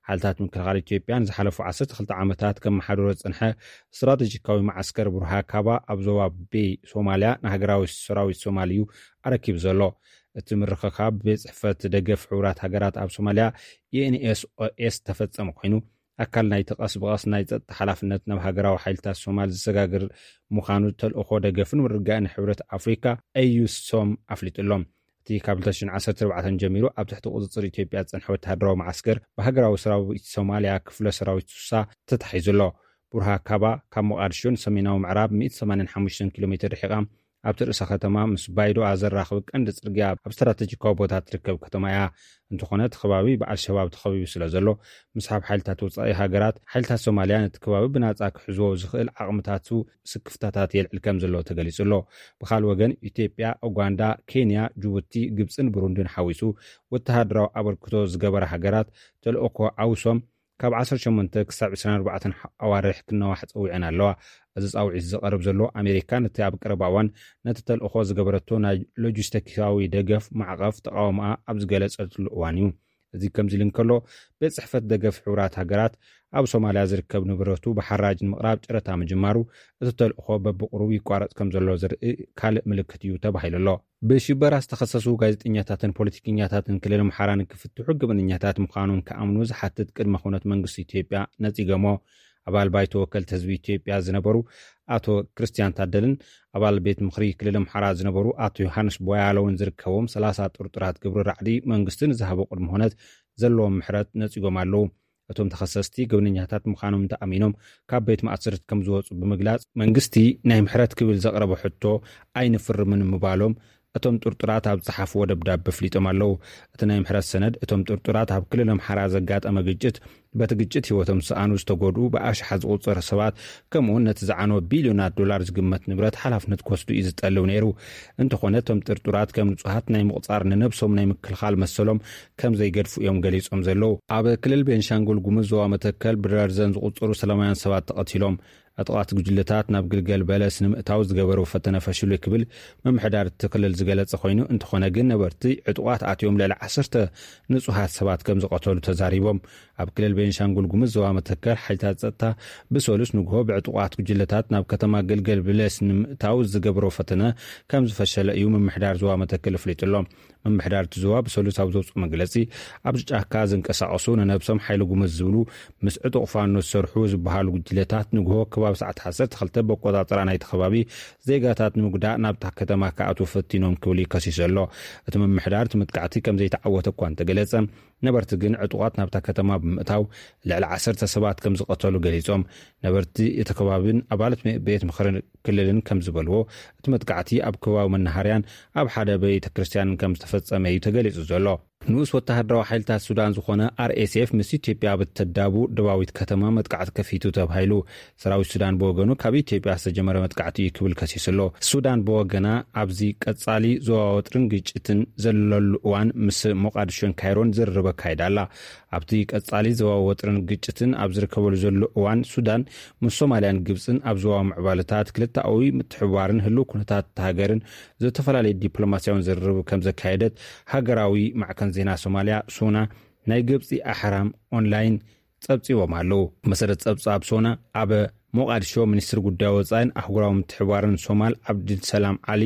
ሓይልታት ምክልኻል ኢትዮጵያ ንዝሓለፉ ዓሰርተ ክልተ ዓመታት ከመሓድሮ ዝጸንሐ ስትራቴጂካዊ መዓስከር ቡርሃ ካባ ኣብ ዞባ ቤይ ሶማልያ ንሃገራዊ ሰራዊት ሶማል እዩ ኣረኪቡ ዘሎ። እቲ ምርኽኻብ ብቤት ጽሕፈት ደገፍ ሕቡራት ሃገራት ኣብ ሶማልያ፣ ዩ ኤን ኤስ ኦ ኤስ፣ ተፈጸመ ኮይኑ፣ ኣካል ናይቲ ቀስ ብቐስ ናይ ጸጥታ ሓላፍነት ናብ ሃገራዊ ሓይልታት ሶማል ዝሰጋግር ምዃኑ ተልእኾ ደገፍን ምርግጋእን ሕብረት ኣፍሪካ፣ ኤዩሶም፣ ኣፍሊጡ ኣሎ። እቲ ካብ ክልተ ሽሕን ዓሰርተ ኣርባዕተን ጀሚሩ ኣብ ትሕቲ ቁጽጽር ኢትዮጵያ ዝጸንሐ ወተሃደራዊ መዓስከር ብሃገራዊ ሰራዊት ሶማልያ ክፍለ ሰራዊት ሱሳ ተታሒዙ ኣሎ። ቡርሃ ካባ ካብ ሞቓድሾ ንሰሜናዊ ምዕራብ ሚእቲ ሰማንያን ሓሙሽተን ኪሎ ሜትር ርሒቓ፣ ኣብቲ ርእሰ ከተማ ምስ ባይዶኣ ዘራኽብ ቀንዲ ጽርግያ ኣብ ስትራተጂካዊ ቦታ ትርከብ ከተማ እያ። እንተኾነ፣ እቲ ከባቢ ብኣልሸባብ ተኸቢቡ ስለ ዘሎ፣ ምስሓብ ሓይልታት ወጻኢ ሃገራት፣ ሓይልታት ሶማልያ ነቲ ከባቢ ብናጻ ክሕዝዎ ዝኽእል ዓቕምታቱ ስክፍታታት የልዕል ከም ዘሎ ተገሊጹ ኣሎ። ብኻልእ ወገን፣ ኢትዮጵያ፣ ኡጋንዳ፣ ኬንያ፣ ጅቡቲ፣ ግብጽን ብሩንድን ሓዊሱ ወተሃደራዊ ኣበርክቶ ዝገበራ ሃገራት፣ ተልእኮ ዓውሶም ካብ ዓሰርተ ሸሞንተ ክሳብ ዕስራን ኣርባዕተን ኣዋርሕ ክነዋሕ ጸዊዐን ኣለዋ። እዚ ጻውዒት ዝቐርብ ዘሎ፣ ኣሜሪካ ነቲ ኣብ ቀረባ እዋን ነቲ ተልእኾ ዝገበረቶ ናይ ሎጂስቲካዊ ደገፍ ማዕቐፍ ተቓውሞኣ ኣብ ዝገለጸትሉ እዋን እዩ። እዚ ከምዚ ኢሉ እንከሎ፣ ቤት ጽሕፈት ደገፍ ሕቡራት ሃገራት ኣብ ሶማልያ ዝርከብ ንብረቱ ብሓራጅ ንምቕራብ ጨረታ ምጅማሩ፣ እቲ ተልእኾ በብቕሩብ ይቋረጽ ከም ዘሎ ዘርኢ ካልእ ምልክት እዩ ተባሂሉ ኣሎ። ብሽበራ ዝተኸሰሱ ጋዜጠኛታትን ፖለቲከኛታትን ክልል ኣምሓራ ንክፍትሑ ገበነኛታት ምዃኖም ክኣምኑ ዝሓትት ቅድመ ኩነት መንግስቲ ኢትዮጵያ ነጺጎሞ። ኣባል ባይቶ ወከልቲ ህዝቢ ኢትዮጵያ ዝነበሩ ኣቶ ክርስቲያን ታደልን ኣባል ቤት ምኽሪ ክልል ኣምሓራ ዝነበሩ ኣቶ ዮሃንስ ቦያለውን ዝርከቦም ሰላሳ ጥርጡራት ግብሪ ራዕዲ፣ መንግስቲ ንዝሃቦ ቅድመ ኩነት ዘለዎም ምሕረት ነጺጎም ኣለዉ። እቶም ተኸሰስቲ ገበነኛታት ምዃኖም እንተኣሚኖም፣ ካብ ቤት ማእሰርቲ ከም ዝወጹ ብምግላጽ፣ መንግስቲ ናይ ምሕረት ክብል ዘቕረቦ ሕቶ ኣይንፍርምን ምባሎም እቶም ጥርጡራት ኣብ ዝጸሓፍዎ ደብዳበ ኣፍሊጦም ኣለዉ። እቲ ናይ ምሕረት ሰነድ፣ እቶም ጥርጡራት ኣብ ክልል ኣምሓራ ዘጋጠመ ግጭት፣ በቲ ግጭት ህይወቶም ዝሰኣኑ፣ ዝተጎድኡ ብኣሽሓት ዝቑጸሩ ሰባት፣ ከምኡውን ነቲ ዝዓነወ ቢልዮናት ዶላር ዝግመት ንብረት ሓላፍነት ክወስዱ እዩ ዝጠልብ ነይሩ። እንተኾነ፣ እቶም ጥርጡራት ከም ንጹሃት ናይ ምቑጻር፣ ንነብሶም ናይ ምክልኻል መሰሎም ከም ዘይገድፉ እዮም ገሊጾም ዘለዉ። ኣብ ክልል ቤንሻንጉል ጉሙዝ ዞባ መተከል ብደርዘን ዝቑጸሩ ሰላማውያን ሰባት ተቐቲሎም። ዕጡቓት ጉጅለታት ናብ ግልገል በለስ ንምእታው ዝገበረው ፈተነ ፈሽሉ ክብል ምምሕዳር እቲ ክልል ዝገለጸ ኮይኑ፣ እንተኾነ ግን ነበርቲ ዕጡቓት ኣትዮም ልዕሊ ዓሰርተ ንጹሃት ሰባት ከም ዝቐተሉ ተዛሪቦም። ኣብ ክልል ቤንሻንጉል ጉሙዝ ዞባ መተከል ሓይልታት ጸጥታ ብሰሉስ ንግሆ ብዕጡቓት ጉጅለታት ናብ ከተማ ግልገል በለስ ንምእታው ዝገበረው ፈተነ ከም ዝፈሸለ እዩ ምምሕዳር ዞባ መተከል ኣፍሊጡ ኣሎ። ምምሕዳር እቲ ዞባ ብሰሉስ ኣብ ዘውፅኦ መግለፂ፣ ኣብዚ ጫካ ዝንቀሳቐሱ ንነብሶም ሓይሊ ጉሙዝ ዝብሉ ምስ ዕጡቕ ፋኖ ዝሰርሑ ዝበሃሉ ጉጅለታት ንግሆ ከባቢ ሰዓት ዓሰርተ ክልተ በቆፃፅራ ናይቲ ከባቢ ዜጋታት ንምጉዳእ ናብታ ከተማ ክኣትዉ ፈቲኖም ክብል እዩ ከሲሱ ኣሎ። እቲ ምምሕዳር እቲ መጥቃዕቲ ከም ዘይተዓወተ እኳ እንተገለጸ፣ ነበርቲ ግን ዕጡቓት ናብታ ከተማ ብምእታው ልዕሊ ዓሰርተ ሰባት ከም ዝቐተሉ ገሊጾም። ነበርቲ እቲ ከባብን ኣባላት ቤት ምኽሪ ክልልን ከም ዝበልዎ፣ እቲ መጥቃዕቲ ኣብ ከባቢ መናሃርያን ኣብ ሓደ ቤተ ክርስቲያንን ከም ዝተፈጸመ እዩ ተገሊጹ ዘሎ። ንኡስ ወተሃደራዊ ሓይልታት ሱዳን ዝኾነ ኣር ኤስ ኤፍ ምስ ኢትዮጵያ ኣብ እተዳቡ ደባዊት ከተማ መጥቃዕቲ ከፊቱ ተባሂሉ። ሰራዊት ሱዳን ብወገኑ፣ ካብ ኢትዮጵያ ዝተጀመረ መጥቃዕቲ እዩ ክብል ከሲሱ ኣሎ። ሱዳን ብወገና፣ ኣብዚ ቀጻሊ ዞባ ወጥርን ግጭትን ዘለሉ እዋን ምስ ሞቃዲሾን ካይሮን ዝርርብ ኣካይዳ ኣላ። ኣብቲ ቀጻሊ ዞባ ወጥርን ግጭትን ኣብ ዝርከበሉ ዘሎ እዋን፣ ሱዳን ምስ ሶማልያን ግብጽን ኣብ ዞባ ምዕባለታት ክልተኣዊ ምትሕብባርን ህልው ኩነታት እታ ሃገርን ዝተፈላለዩ ዲፕሎማሲያውን ዝርርብ ከም ዘካየደት ሃገራዊ ማዕከን ዜና ሶማልያ፣ ሱና፣ ናይ ግብጺ ኣሕራም ኦንላይን ጸብጺቦም ኣለዉ። መሰረት ጸብጻብ ሶና፣ ኣብ ሞቃዲሾ ሚኒስትር ጉዳይ ወጻኢን ኣህጉራዊ ምትሕብባርን ሶማል ዓብድልሰላም ዓሊ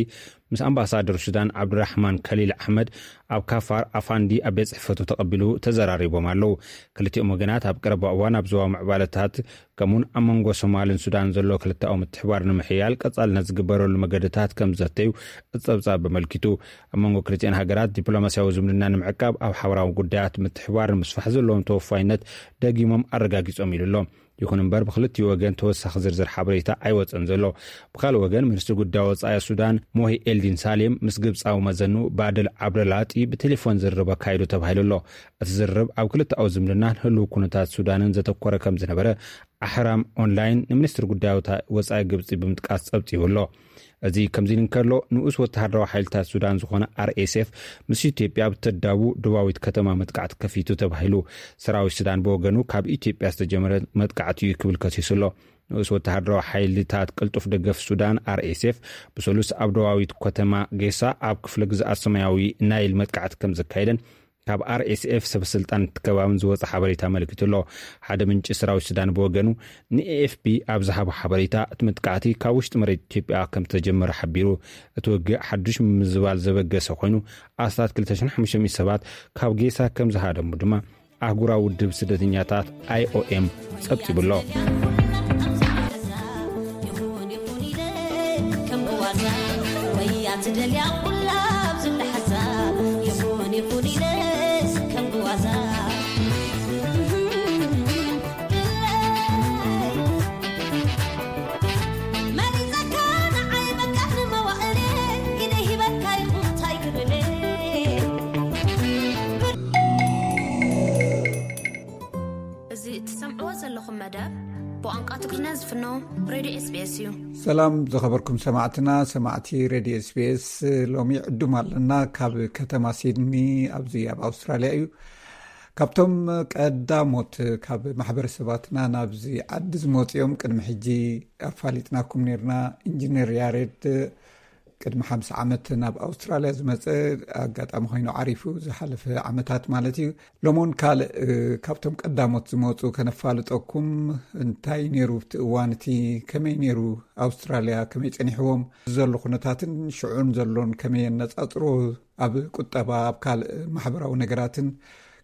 ምስ ኣምባሳደር ሱዳን ዓብድራሕማን ከሊል ኣሕመድ ኣብ ካፋር ኣፋንዲ ኣብ ቤት ጽሕፈቱ ተቐቢሉ ተዘራሪቦም ኣለዉ። ክልቲኦም ወገናት ኣብ ቀረባ እዋን ኣብ ዞባ ምዕባለታት ከምኡውን ኣብ መንጎ ሶማልን ሱዳን ዘሎ ክልተኣዊ ምትሕብባር ንምሕያል ቀጻልነት ዝግበረሉ መገድታት ከም ዘተዩ እቲ ጸብጻብ ኣመልኪቱ። ኣብ መንጎ ክልቲኣን ሃገራት ዲፕሎማሲያዊ ዝምድና ንምዕቃብ፣ ኣብ ሓበራዊ ጉዳያት ምትሕብባር ንምስፋሕ ዘለዎም ተወፋይነት ደጊሞም ኣረጋጊጾም ኢሉ ኣሎ። ይኹን እምበር፣ ብክልቲኡ ወገን ተወሳኺ ዝርዝር ሓበሬታ ኣይወጸን ዘሎ። ብኻልእ ወገን፣ ሚኒስትሪ ጉዳይ ወጻኢ ሱዳን ሞሂ ኤልዲን ሳሌም ምስ ግብጻዊ መዘንኡ ባድል ዓብደላጢ ብቴሌፎን ዝርርብ ኣካይዱ ተባሂሉ ኣሎ። እቲ ዝርርብ ኣብ ክልተኣዊ ዝምድናን ህልው ኩነታት ሱዳንን ዘተኮረ ከም ዝነበረ ኣሕራም ኦንላይን ንሚኒስትሪ ጉዳይ ወጻኢ ግብጺ ብምጥቃስ ጸብጺቡ ኣሎ። እዚ ከምዚ ኢሉ እንከሎ፣ ንኡስ ወተሃደራዊ ሓይልታት ሱዳን ዝኾነ ኣር ኤስ ኤፍ ምስ ኢትዮጵያ ኣብ ተዳቡ ደቡባዊት ከተማ መጥቃዕቲ ከፊቱ ተባሂሉ። ሰራዊት ሱዳን ብወገኑ፣ ካብ ኢትዮጵያ ዝተጀመረ መጥቃዕቲ እዩ ክብል ከሲሱ ኣሎ። ንኡስ ወተሃደራዊ ሓይልታት ቅልጡፍ ደገፍ ሱዳን፣ ኣር ኤስ ኤፍ፣ ብሰሉስ ኣብ ደቡባዊት ከተማ ጌሳ ኣብ ክፍለ ግዝኣት ሰማያዊ ናይል መጥቃዕቲ ከም ዘካየደን ካብ ኣር ኤስ ኤፍ ሰበ ስልጣን እቲ ከባብን ዝወጸ ሓበሬታ ኣመልኪቱ ኣሎ። ሓደ ምንጪ ሰራዊት ሱዳን ብወገኑ፣ ን ኤ ኤፍ ፒ ኣብ ዝሃቦ ሓበሬታ፣ እቲ መጥቃዕቲ ካብ ውሽጢ መሬት ኢትዮጵያ ከም ዝተጀመረ ሓቢሩ። እቲ ውግእ ሓዱሽ ምምዝባል ዘበገሰ ኮይኑ፣ ኣስታት ክልተ ሽሕን ሓሙሽተ ሚእትን ሰባት ካብ ጌሳ ከም ዝሃደሙ ድማ ኣህጉራዊ ውድብ ስደተኛታት፣ ኣይ ኦ ኤም፣ ጸብጺቡ ኣሎ። እዚ እትሰምዕዎ ዘለኹም መደብ ብቋንቋ ትግርኛ ዝፍኖ ሬድዮ ኤስ ቢ ኤስ እዩ። ሰላም ዝኸበርኩም ሰማዕትና፣ ሰማዕቲ ሬድዮ ኤስ ቢ ኤስ፣ ሎሚ ዕዱም ኣለና። ካብ ከተማ ሲድኒ ኣብዚ ኣብ ኣውስትራልያ እዩ። ካብቶም ቀዳሞት ካብ ማሕበረሰባትና ናብዚ ዓዲ ዝመፅኦም ቅድሚ ሕጂ ኣፋሊጥናኩም ነርና። ኢንጂነር ያሬድ ቅድሚ ሓምሳ ዓመት ናብ ኣውስትራልያ ዝመጸ ኣጋጣሚ ኮይኑ ዓሪፉ ዝሓለፈ ዓመታት ማለት እዩ። ሎሚ እውን ካልእ፣ እ፣ ካብቶም ቀዳሞት ዝመጹ ከነፋልጠኩም። እንታይ ነይሩ ኣብቲ እዋን እቲ፣ ከመይ ነይሩ ኣውስትራልያ፣ ከመይ ጸኒሕዎም፣ ዘሎ ኩነታትን ሽዑን ዘሎን ከመይ የነጻጽሮ፣ ኣብ ቁጠባ፣ ኣብ ካልእ ማሕበራዊ ነገራትን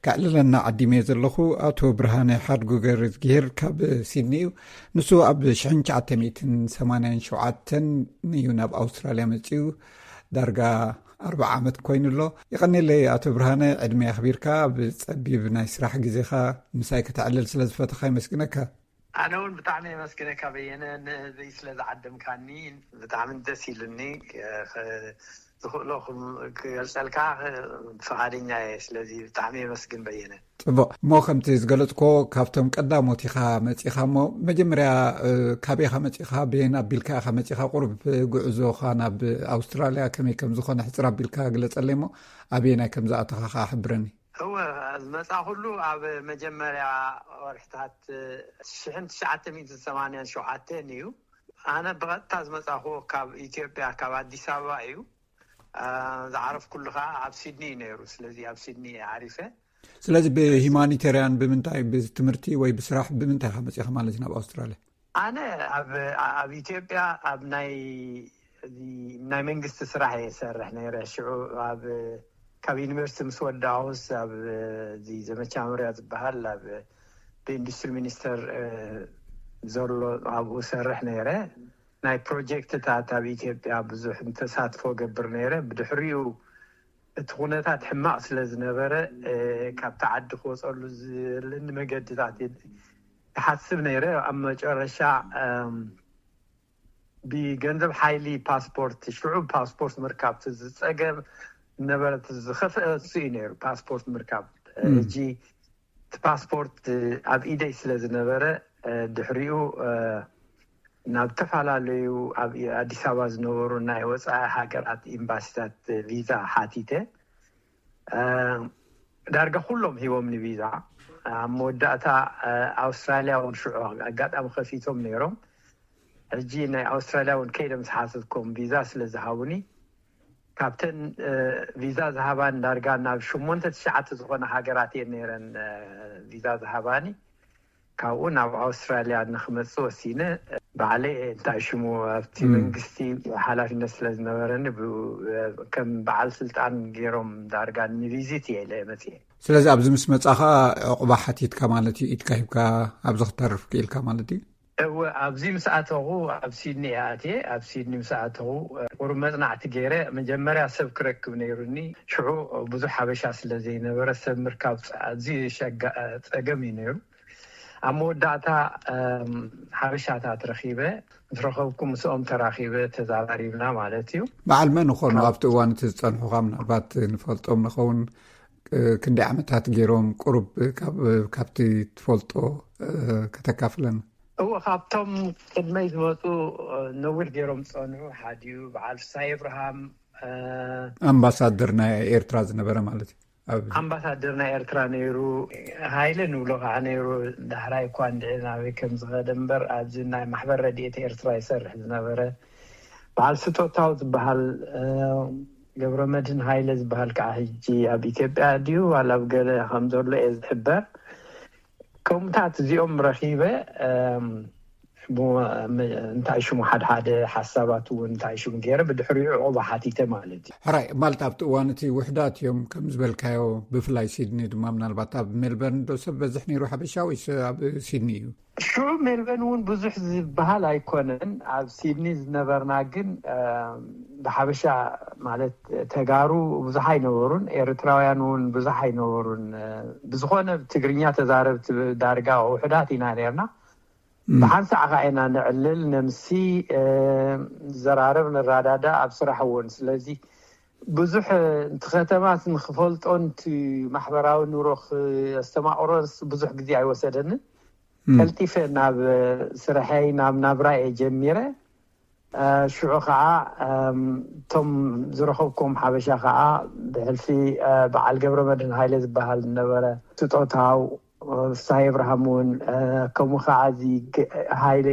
ከዕልለና ዓዲመ ዘለኹ ኣቶ ብርሃነ ሓድጉ ገርዝጊሄር ካብ ሲድኒ እዩ። ንሱ ኣብ ሽሕን ትሽዓተ ሚእትን ሰማንያን ሸውዓተን እዩ ናብ ኣውስትራልያ መጺኡ። ዳርጋ ኣርብዓ ዓመት ኮይኑ ኣሎ። የቐኔለይ ኣቶ ብርሃነ፣ ዕድመ ኣኽቢርካ ኣብ ጸቢብ ናይ ስራሕ ግዜኻ ምሳይ ከተዕልል ስለ ዝፈተኻ የመስግነካ። ኣነ እውን ብጣዕሚ የመስግነካ በየነ፣ ንህዝበይ ስለ ዝዓደምካኒ ብጣዕሚ ደስ ኢሉኒ። ዝኽእሎ ክገልጸልካ ፍቓደኛ እየ። ስለዚ ብጣዕሚ የመስግን በየነ። ጽቡቕ። እሞ ከምቲ ዝገለጽኮ ካብቶም ቀዳሞት ኢኻ መጺኻ። እሞ መጀመርያ ካበይ ኢኻ መጺኻ? በየን ኣቢልካ ኢኻ መጺኻ? ቁሩብ ጉዕዞኻ ናብ ኣውስትራልያ ከመይ ከም ዝኾነ ሕጽር ኣቢልካ ግለጸለይ፣ እሞ ኣበየናይ ከም ዝኣተኻ ከኣ ሕብረኒ። እወ፣ ዝመጻኹሉ ኣብ መጀመርያ ወርሕታት ሽሕን ትሽዓተ ሚእትን ሰማንያን ሸውዓተን እዩ። ኣነ ብቐጥታ ዝመጻኹ ካብ ኢትዮጵያ፣ ካብ ኣዲስ ኣበባ እዩ። ዝዓረፍኩሉ ከዓ ኣብ ሲድኒ እዩ ነይሩ። ስለዚ ኣብ ሲድኒ እየ ዓሪፈ። ስለዚ ብሂማኒቴርያን ብምንታይ፣ ብትምህርቲ ወይ ብስራሕ ብምንታይ ኢኻ መፂኻ ማለት እዩ ናብ ኣውስትራልያ? ኣነ ኣብ ኣብ ኢትዮጵያ ኣብ ናይ ናይ መንግስቲ ስራሕ እየ ሰርሕ ነይረ። ሽዑ ኣብ ካብ ዩኒቨርሲቲ ምስ ወዳኡስ ኣብ እዚ ዘመቻ መምርያ ዝበሃል ኣብ ብኢንዱስትሪ ሚኒስተር ዘሎ ኣብኡ ሰርሕ ነይረ። ናይ ፕሮጀክትታት ኣብ ኢትዮጵያ ብዙሕ ተሳትፎ ገብር ነይረ። ብድሕሪኡ እቲ ኩነታት ሕማቕ ስለ ዝነበረ ካብቲ ዓዲ ክወፀሉ ዝልኒ መገድታት ይሓስብ ነይረ። ኣብ መጨረሻ ብገንዘብ ሓይሊ ፓስፖርት፣ ሽዑ ፓስፖርት ምርካብ ዝፀገም ነበረ። ዝኸፍአ እሱ እዩ ነይሩ ፓስፖርት ምርካብ። ሕጂ እቲ ፓስፖርት ኣብ ኢደይ ስለ ዝነበረ ድሕሪኡ ናብ ዝተፈላለዩ ኣብ ኣዲስ ኣበባ ዝነበሩ ናይ ወፃኢ ሃገራት ኤምባሲታት ቪዛ ሓቲተ። ዳርጋ ኩሎም ሂቦም ንቪዛ። ኣብ መወዳእታ ኣውስትራልያ እውን ሽዑ ኣጋጣሚ ከፊቶም ነይሮም። ሕጂ ናይ ኣውስትራልያ እውን ከይደ ምስ ሓተትኮም ቪዛ ስለ ዝሃቡኒ፣ ካብተን ቪዛ ዝሃባን ዳርጋ ናብ ሸሞንተ ትሽዓተ ዝኾነ ሃገራት እየን ነይረን ቪዛ ዝሃባኒ። ካብኡ ናብ ኣውስትራልያ ንክመፅእ ወሲነ። ባዕለይ እንታይ ሽሙ ኣብቲ መንግስቲ ሓላፊነት ስለ ዝነበረኒ ከም በዓል ስልጣን ገይሮም ዳርጋ ንቪዚት እየ ኢለ መፅየ። ስለዚ ኣብዚ ምስ መፃኻ ዕቑባ ሓቲትካ ማለት እዩ? ኢድካ ሂብካ ኣብዚ ክተርፍ ክኢልካ ማለት እዩ? እወ፣ ኣብዚ ምስ ኣተኹ ኣብ ሲድኒ እየ ኣትየ። ኣብ ሲድኒ ምስ ኣተኹ ቁሩብ መፅናዕቲ ገይረ። መጀመርያ ሰብ ክረክብ ነይሩኒ። ሽዑ ብዙሕ ሓበሻ ስለ ዘይነበረ ሰብ ምርካብ ኣዝዩ ጸገም እዩ ነይሩ። ኣብ መወዳእታ ሓበሻታት ረኺበ። ምስ ረኸብኩ ምስኦም ተራኺበ ተዛራሪብና ማለት እዩ። በዓል መን ይኾኑ ኣብቲ እዋን እቲ ዝጸንሑኻ? ምናልባት ንፈልጦም ንኸውን። ክንደይ ዓመታት ገይሮም? ቁሩብ ካብቲ ትፈልጦ ከተካፍለና። እወ፣ ካብቶም ቅድመይ ዝመፁ ነዊሕ ገይሮም ዝፀንሑ ሓዲኡ በዓል ፍሳይ እብርሃም፣ ኣምባሳደር ናይ ኤርትራ ዝነበረ ማለት እዩ። ኣምባሳደር ናይ ኤርትራ ነይሩ። ሃይለ ንብሎ ከዓ ነይሩ። ዳሕራይ እኳ እንድዒ ናበይ ከም ዝኸደ እምበር ኣብዚ ናይ ማሕበር ረድኤት ኤርትራ ይሰርሕ ዝነበረ በዓል ስጦታው ዝበሃል፣ ገብረ መድህን ሃይለ ዝበሃል ከዓ ሕጂ ኣብ ኢትዮጵያ ድዩ ዋላ ኣብ ገለ ከም ዘሎ እየ ዝሕበር። ከምኡታት እዚኦም ረኺበ እንታይ ሽሙ ሓድሓደ ሓሳባት እውን እንታይ ሽሙ ገይረ ብድሕሪኡ ዕቑባ ሓቲተ ማለት እዩ። ሕራይ ማለት ኣብቲ እዋን እቲ ውሕዳት እዮም ከም ዝበልካዮ፣ ብፍላይ ሲድኒ ድማ ምናልባት ኣብ ሜልበርን ዶ ሰብ በዝሕ ነይሩ ሓበሻ ወይስ ኣብ ሲድኒ እዩ? ሽዑ ሜልበርን እውን ብዙሕ ዝበሃል ኣይኮነን። ኣብ ሲድኒ ዝነበርና ግን ብሓበሻ ማለት ተጋሩ ብዙሕ ኣይነበሩን፣ ኤርትራውያን እውን ብዙሕ ኣይነበሩን። ብዝኾነ ትግርኛ ተዛረብቲ ዳርጋ ውሕዳት ኢና ነርና። ብሓንሳእ ከዓ ኢና ንዕልል፣ ነምሲ፣ ንዘራረብ፣ ንራዳዳ ኣብ ስራሕ እውን። ስለዚ ብዙሕ እቲ ከተማስ ንክፈልጦን እቲ ማሕበራዊ ኑሮ ክስተማቕሮንስ ብዙሕ ግዜ ኣይወሰደንን። ቀልጢፈ ናብ ስርሐይ ናብ ናብራይ እየ ጀሚረ። ሽዑ ከዓ እቶም ዝረኸብኩም ሓበሻ ከዓ ብሕልፊ በዓል ገብረ መድህን ሃይለ ዝበሃል ነበረ፣ ስጦታው ፍሳይ እብርሃም እውን፣ ከምኡ ከዓ እዚ ሃይለ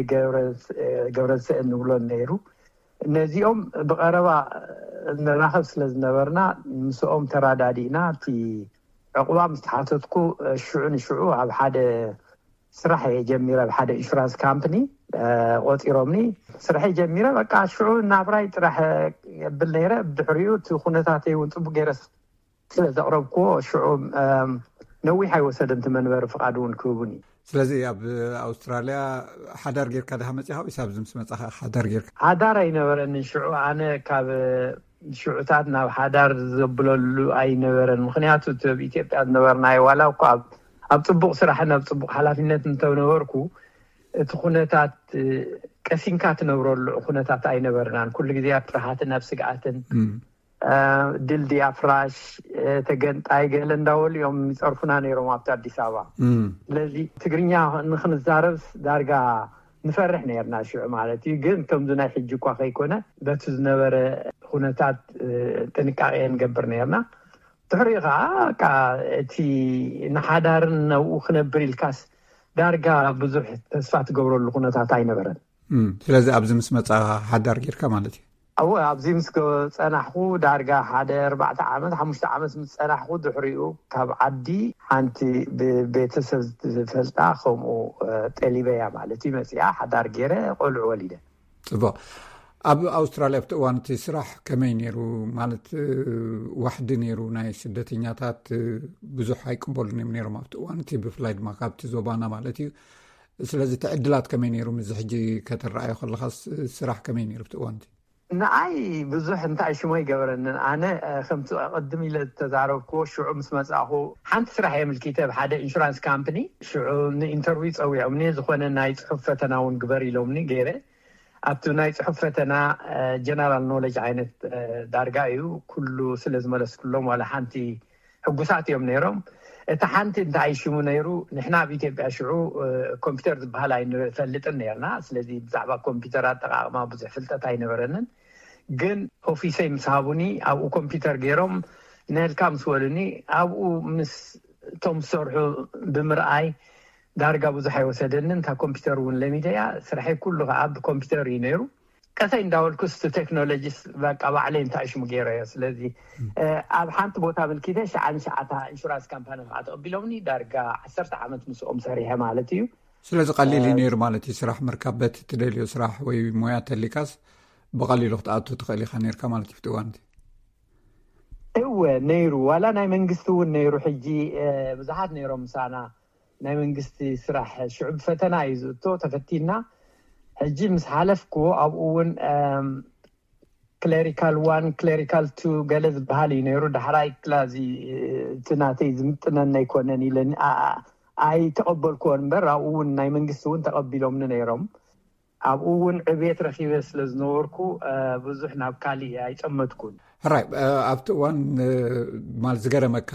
ገብረስእን ንብሎ ነይሩ። ነዚኦም ብቐረባ ንራኸብ ስለ ዝነበርና ምስኦም ተራዳዲእና እቲ ዕቑባ ምስ ተሓተትኩ ሽዑ ንሽዑ ኣብ ሓደ ስራሕ እየ ጀሚረ፣ ኣብ ሓደ ኢንሹራንስ ካምፕኒ ቆፂሮምኒ። ስርሐይ ጀሚረ። በቃ ሽዑ ናብራይ ጥራሕ የብል ነይረ። ብድሕሪኡ እቲ ኩነታተይ እውን ፅቡቅ ገይረ ስለ ዘቕረብኩዎ ሽዑ ነዊሕ ኣይወሰደን እቲ መንበሪ ፍቓድ እውን ክህቡኒ። ስለዚ ኣብ ኣውስትራልያ ሓዳር ጌርካ ድኻ መፂኻ ወይስ ኣብዚ ምስ መፃኻ ሓዳር ጌርካ? ሓዳር ኣይነበረንን ሽዑ። ኣነ ካብ ሽዑታት ናብ ሓዳር ዘብለሉ ኣይነበረን። ምክንያቱ እቲ ኣብ ኢትዮጵያ ዝነበርናዮ ዋላ እኳ ኣብ ኣብ ፅቡቕ ስራሕን ኣብ ፅቡቕ ሓላፊነት እንተነበርኩ እቲ ኩነታት ቀሲንካ ትነብረሉ ኩነታት ኣይነበርናን። ኩሉ ግዜ ኣብ ፍርሃትን ኣብ ስግኣትን፣ ድልድይ ኣፍራሽ፣ ተገንጣይ ገለ እንዳበሉ እዮም ይፀርፉና ነይሮም ኣብቲ ኣዲስ ኣበባ። ስለዚ ትግርኛ ንክንዛረብስ ዳርጋ ንፈርሕ ነርና ሽዑ ማለት እዩ። ግን ከምዚ ናይ ሕጂ እኳ ከይኮነ፣ በቲ ዝነበረ ኩነታት ጥንቃቄ ንገብር ነርና። ድሕሪኡ ከዓ በቃ እቲ ንሓዳርን ነብኡ ክነብር ኢልካስ ዳርጋ ብዙሕ ተስፋ ትገብረሉ ኩነታት ኣይነበረን። ስለዚ ኣብዚ ምስ መፃ ሓዳር ጌርካ ማለት እዩ? ኣወ፣ ኣብዚ ምስ ገ- ጸናሕኩ ዳርጋ ሓደ ኣርባዕተ ዓመት ሓሙሽተ ዓመት ምስ ጸናሕኩ፣ ድሕሪኡ ካብ ዓዲ ሓንቲ ብቤተሰብ ዝፈልጣ ከምኡ ጠሊበያ ማለት እዩ መጺኣ፣ ሓዳር ገይረ ቆልዑ ወሊደ። ጽቡቕ። ኣብ ኣውስትራልያ ኣብቲ እዋን እቲ ስራሕ ከመይ ነይሩ? ማለት ዋሕዲ ነይሩ ናይ ስደተኛታት ብዙሕ ኣይቅበሉን እዮም ነይሮም ኣብቲ እዋን እቲ፣ ብፍላይ ድማ ካብቲ ዞባና ማለት እዩ። ስለዚ እቲ ዕድላት ከመይ ነይሩ? ምስዚ ሕጂ ከተረኣዮ ከለኻስ ስራሕ ከመይ ነይሩ ኣብቲ እዋን እቲ? ንኣይ ብዙሕ እንታይ ሽሞ ይገበረንን። ኣነ ከምቲ ቅድም ኢለ ዝተዛረብኩዎ ሽዑ ምስ መጻእኹ ሓንቲ ስራሕ የምልኪተ ኣብ ሓደ ኢንሹራንስ ካምፕኒ። ሽዑ ንኢንተርቪው ጸዊዖምኒ፣ ዝኾነ ናይ ጽሑፍ ፈተና እውን ግበር ኢሎምኒ ገይረ። ኣብቲ ናይ ጽሑፍ ፈተና ጀነራል ኖሌጅ ዓይነት ዳርጋ እዩ፣ ኩሉ ስለ ዝመለስኩሎም ዋላ ሓንቲ ሕጉሳት እዮም ነይሮም። እቲ ሓንቲ እንታይ ሽሙ ነይሩ፣ ንሕና ኣብ ኢትዮጵያ ሽዑ ኮምፒውተር ዝበሃል ኣይንፈልጥን ነርና። ስለዚ ብዛዕባ ኮምፒውተር ኣጠቃቅማ ብዙሕ ፍልጠት ኣይነበረንን። ግን ኦፊሰይ ምስ ሃቡኒ፣ ኣብኡ ኮምፒውተር ገይሮም ንህልካ ምስ በሉኒ፣ ኣብኡ ምስ እቶም ዝሰርሑ ብምርኣይ ዳርጋ ብዙሕ ኣይወሰደንን። እታ ኮምፒውተር እውን ለሚደያ፣ ስርሐይ ኩሉ ከዓ ብኮምፒውተር እዩ ነይሩ። ቀሰይ እንዳበልኩስ ቴክኖሎጂስ በቃ ባዕለይ እንታይ ሽሙ ገይረዮ። ስለዚ ኣብ ሓንቲ ቦታ ምልኪተ ሸዓ ንሸዓታ ኢንሹራንስ ካምፓኒ ከዓ ተቐቢሎምኒ። ዳርጋ ዓሰርተ ዓመት ምስኦም ሰሪሐ ማለት እዩ። ስለዚ ቀሊል እዩ ነይሩ ማለት እዩ ስራሕ ምርካብ። በቲ ትደልዮ ስራሕ ወይ ሞያ ተሊካስ ብቐሊሉ ክትኣቱ ትኽእል ኢኻ ነርካ ማለት እዩ ኣብቲ እዋን እቲ? እወ ነይሩ። ዋላ ናይ መንግስቲ እውን ነይሩ። ሕጂ ብዙሓት ነይሮም ምሳና ናይ መንግስቲ ስራሕ ሽዑ ብፈተና እዩ ዝእቶ። ተፈቲና ሕጂ ምስ ሓለፍኩዎ ኣብኡ እውን ክሌሪካል ዋን ክሌሪካል ቱ ገለ ዝበሃል እዩ ነይሩ። ዳሕራይ ክላዚ እቲ ናተይ ዝምጥነኒ ኣይኮነን ኢለኒ ኣይተቐበልኩዎን እምበር ኣብኡ እውን ናይ መንግስቲ እውን ተቐቢሎምኒ ነይሮም። ኣብኡ እውን ዕቤት ረኺበ ስለ ዝነበርኩ ብዙሕ ናብ ካሊእ ኣይጠመትኩን። ሕራይ ኣብቲ እዋን ማል ዝገረመካ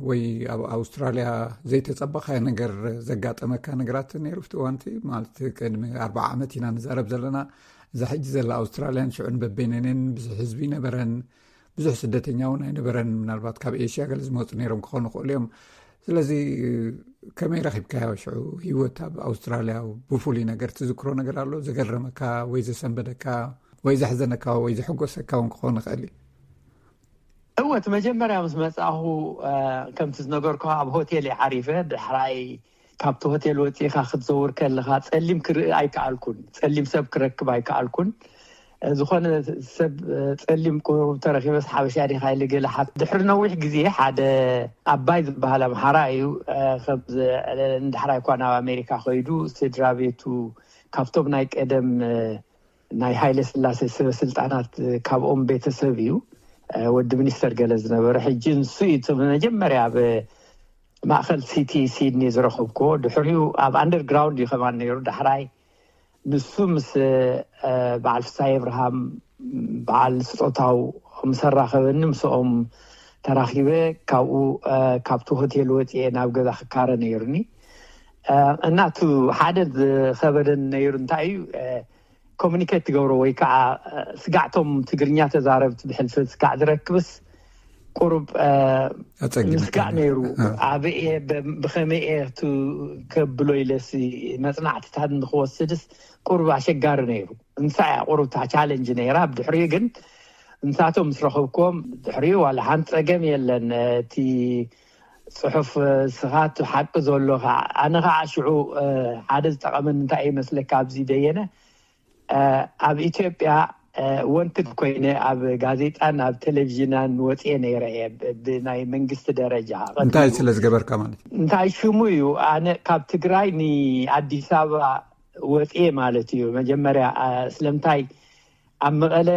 ወይ ኣብ ኣውስትራልያ ዘይተጸበኻዮ ነገር ዘጋጠመካ ነገራት ነይሩ ኣብቲ እዋን እቲ? ማለት ቅድሚ ኣርባዓ ዓመት ኢና ንዛረብ ዘለና። እዛ ሕጂ ዘላ ኣውስትራልያን ሽዑን በበይነንን ብዙሕ ህዝቢ ነበረን፣ ብዙሕ ስደተኛ እውን ኣይነበረን። ምናልባት ካብ ኤሽያ ገለ ዝመፁ ነይሮም ክኾኑ ይኽእሉ እዮም። ስለዚ ከመይ ረኺብካዮ ሽዑ ህይወት ኣብ ኣውስትራልያ? ብፍሉይ ነገር ትዝክሮ ነገር ኣሎ ዘገረመካ ወይ ዘሰንበደካ ወይ ዘሕዘነካ ወይ ዘሐጎሰካ እውን ክኾን ይኽእል እዩ? እወ እቲ መጀመርያ ምስ መጻኹ ከምቲ ዝነገርኩ ኣብ ሆቴል እየ ዓሪፈ። ድሕራይ ካብቲ ሆቴል ወፂእካ ክትዘውር ከለካ ፀሊም ክርኢ ኣይከኣልኩን፣ ፀሊም ሰብ ክረክብ ኣይከኣልኩን። ዝኾነ ሰብ ፀሊም ቁሩብ ተረኪበስ ሓበሻ ዲካ ኢለ ገለ ሓት ድሕሪ ነዊሕ ግዜ ሓደ ኣባይ ዝበሃል ኣምሓራ እዩ። ከምዚ ንዳሕራይ እኳ ናብ ኣሜሪካ ከይዱ ስድራ ቤቱ ካብቶም ናይ ቀደም ናይ ሃይለ ስላሴ ስበ ስልጣናት ካብኦም ቤተሰብ እዩ። ወዲ ሚኒስተር ገለ ዝነበረ ሕጂ ንሱ እዩ እቲ መጀመርያ ኣብ ማእኸል ሲቲ ሲድኒ ዝረኸብኩዎ። ድሕሪኡ ኣብ ኣንደርግራውንድ እዩ ከማን ነይሩ። ዳሕራይ ንሱ ምስ በዓል ፍሳይ ኣብርሃም በዓል ስጦታው ምስ ኣራኸበኒ ምስኦም ተራኺበ ካብኡ ካብቲ ሆቴል ወፂኤ ናብ ገዛ ክካረ ነይሩኒ። እና እቲ ሓደ ዝኸበደን ነይሩ እንታይ እዩ፣ ኮሚኒኬት ትገብሮ ወይ ከዓ ስጋዕቶም ትግርኛ ተዛረብቲ ብሕልፊ ስጋዕ ዝረክብስ ቁሩብ ኣጸጊም ምስጋዕ ነይሩ። ኣበየ ብኸመየ ከብሎ ኢለሲ መፅናዕትታት ንክወስድስ ቁሩብ ኣሸጋሪ ነይሩ። እንሳ እያ ቁሩብ እታ ቻለንጅ ነይራ። ብድሕሪኡ ግን እንሳቶም ምስ ረኸብኩዎም ድሕሪኡ ዋላ ሓንቲ ፀገም የለን። እቲ ፅሑፍ ስኻት ሓቂ ዘሎ ከዓ ኣነ ከዓ ሽዑ ሓደ ዝጠቐመን እንታይ ይመስለካ ኣብዚ ደየነ ኣብ ኢትዮጵያ ወንትድ ኮይነ ኣብ ጋዜጣን ኣብ ቴሌቪዥናን ወፅየ ነይረ እየ ብናይ መንግስቲ ደረጃ። እንታይ ስለ ዝገበርካ ማለት እዩ? እንታይ ሽሙ እዩ? ኣነ ካብ ትግራይ ንኣዲስ ኣበባ ወፅየ ማለት እዩ። መጀመርያ ስለምንታይ ኣብ መቐለ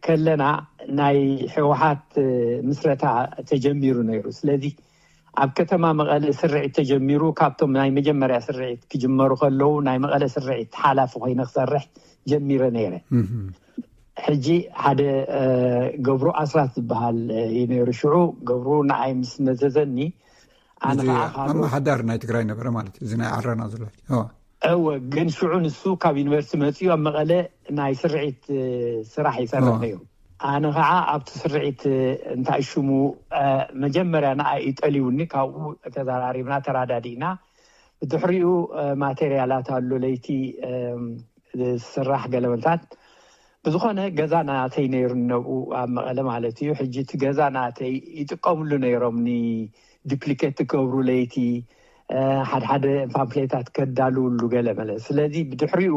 ከለና ናይ ህወሓት ምስረታ ተጀሚሩ ነይሩ። ስለዚ ኣብ ከተማ መቐለ ስርዒት ተጀሚሩ። ካብቶም ናይ መጀመርያ ስርዒት ክጅመሩ ከለዉ ናይ መቐለ ስርዒት ሓላፊ ኮይነ ክሰርሕ ጀሚረ ነይረ። ሕጂ ሓደ ገብሩ ኣስራት ዝበሃል እዩ ነይሩ። ሽዑ ገብሩ ንኣይ ምስ መዘዘኒ፣ ኣነ ከዓ ካልኦት ኣመሓዳሪ ናይ ትግራይ ነበረ ማለት እዩ፣ እዚ ናይ ዓረና ዘሎ። እወ፣ ግን ሽዑ ንሱ ካብ ዩኒቨርሲቲ መፅኡ ኣብ መቐለ ናይ ስርዒት ስራሕ ይሰርሕ ነይሩ። ኣነ ከዓ ኣብቲ ስርዒት እንታይ ሽሙ መጀመርያ ንኣይ ጠሊውኒ፣ ካብኡ ተዘራሪብና ተራዳዲእና። ብድሕሪኡ ማቴርያላት ኣሎ ለይቲ ዝስራሕ ገለመልታት። ብዝኾነ ገዛ ናተይ ነይሩ ነብኡ ኣብ መቐለ ማለት እዩ። ሕጂ እቲ ገዛ ናተይ ይጥቀምሉ ነይሮም፣ ንዲፕሊኬት ትገብሩ ለይቲ ሓድሓደ ፓምፍሌታት ከዳልውሉ ገለ መለ። ስለዚ ብድሕሪኡ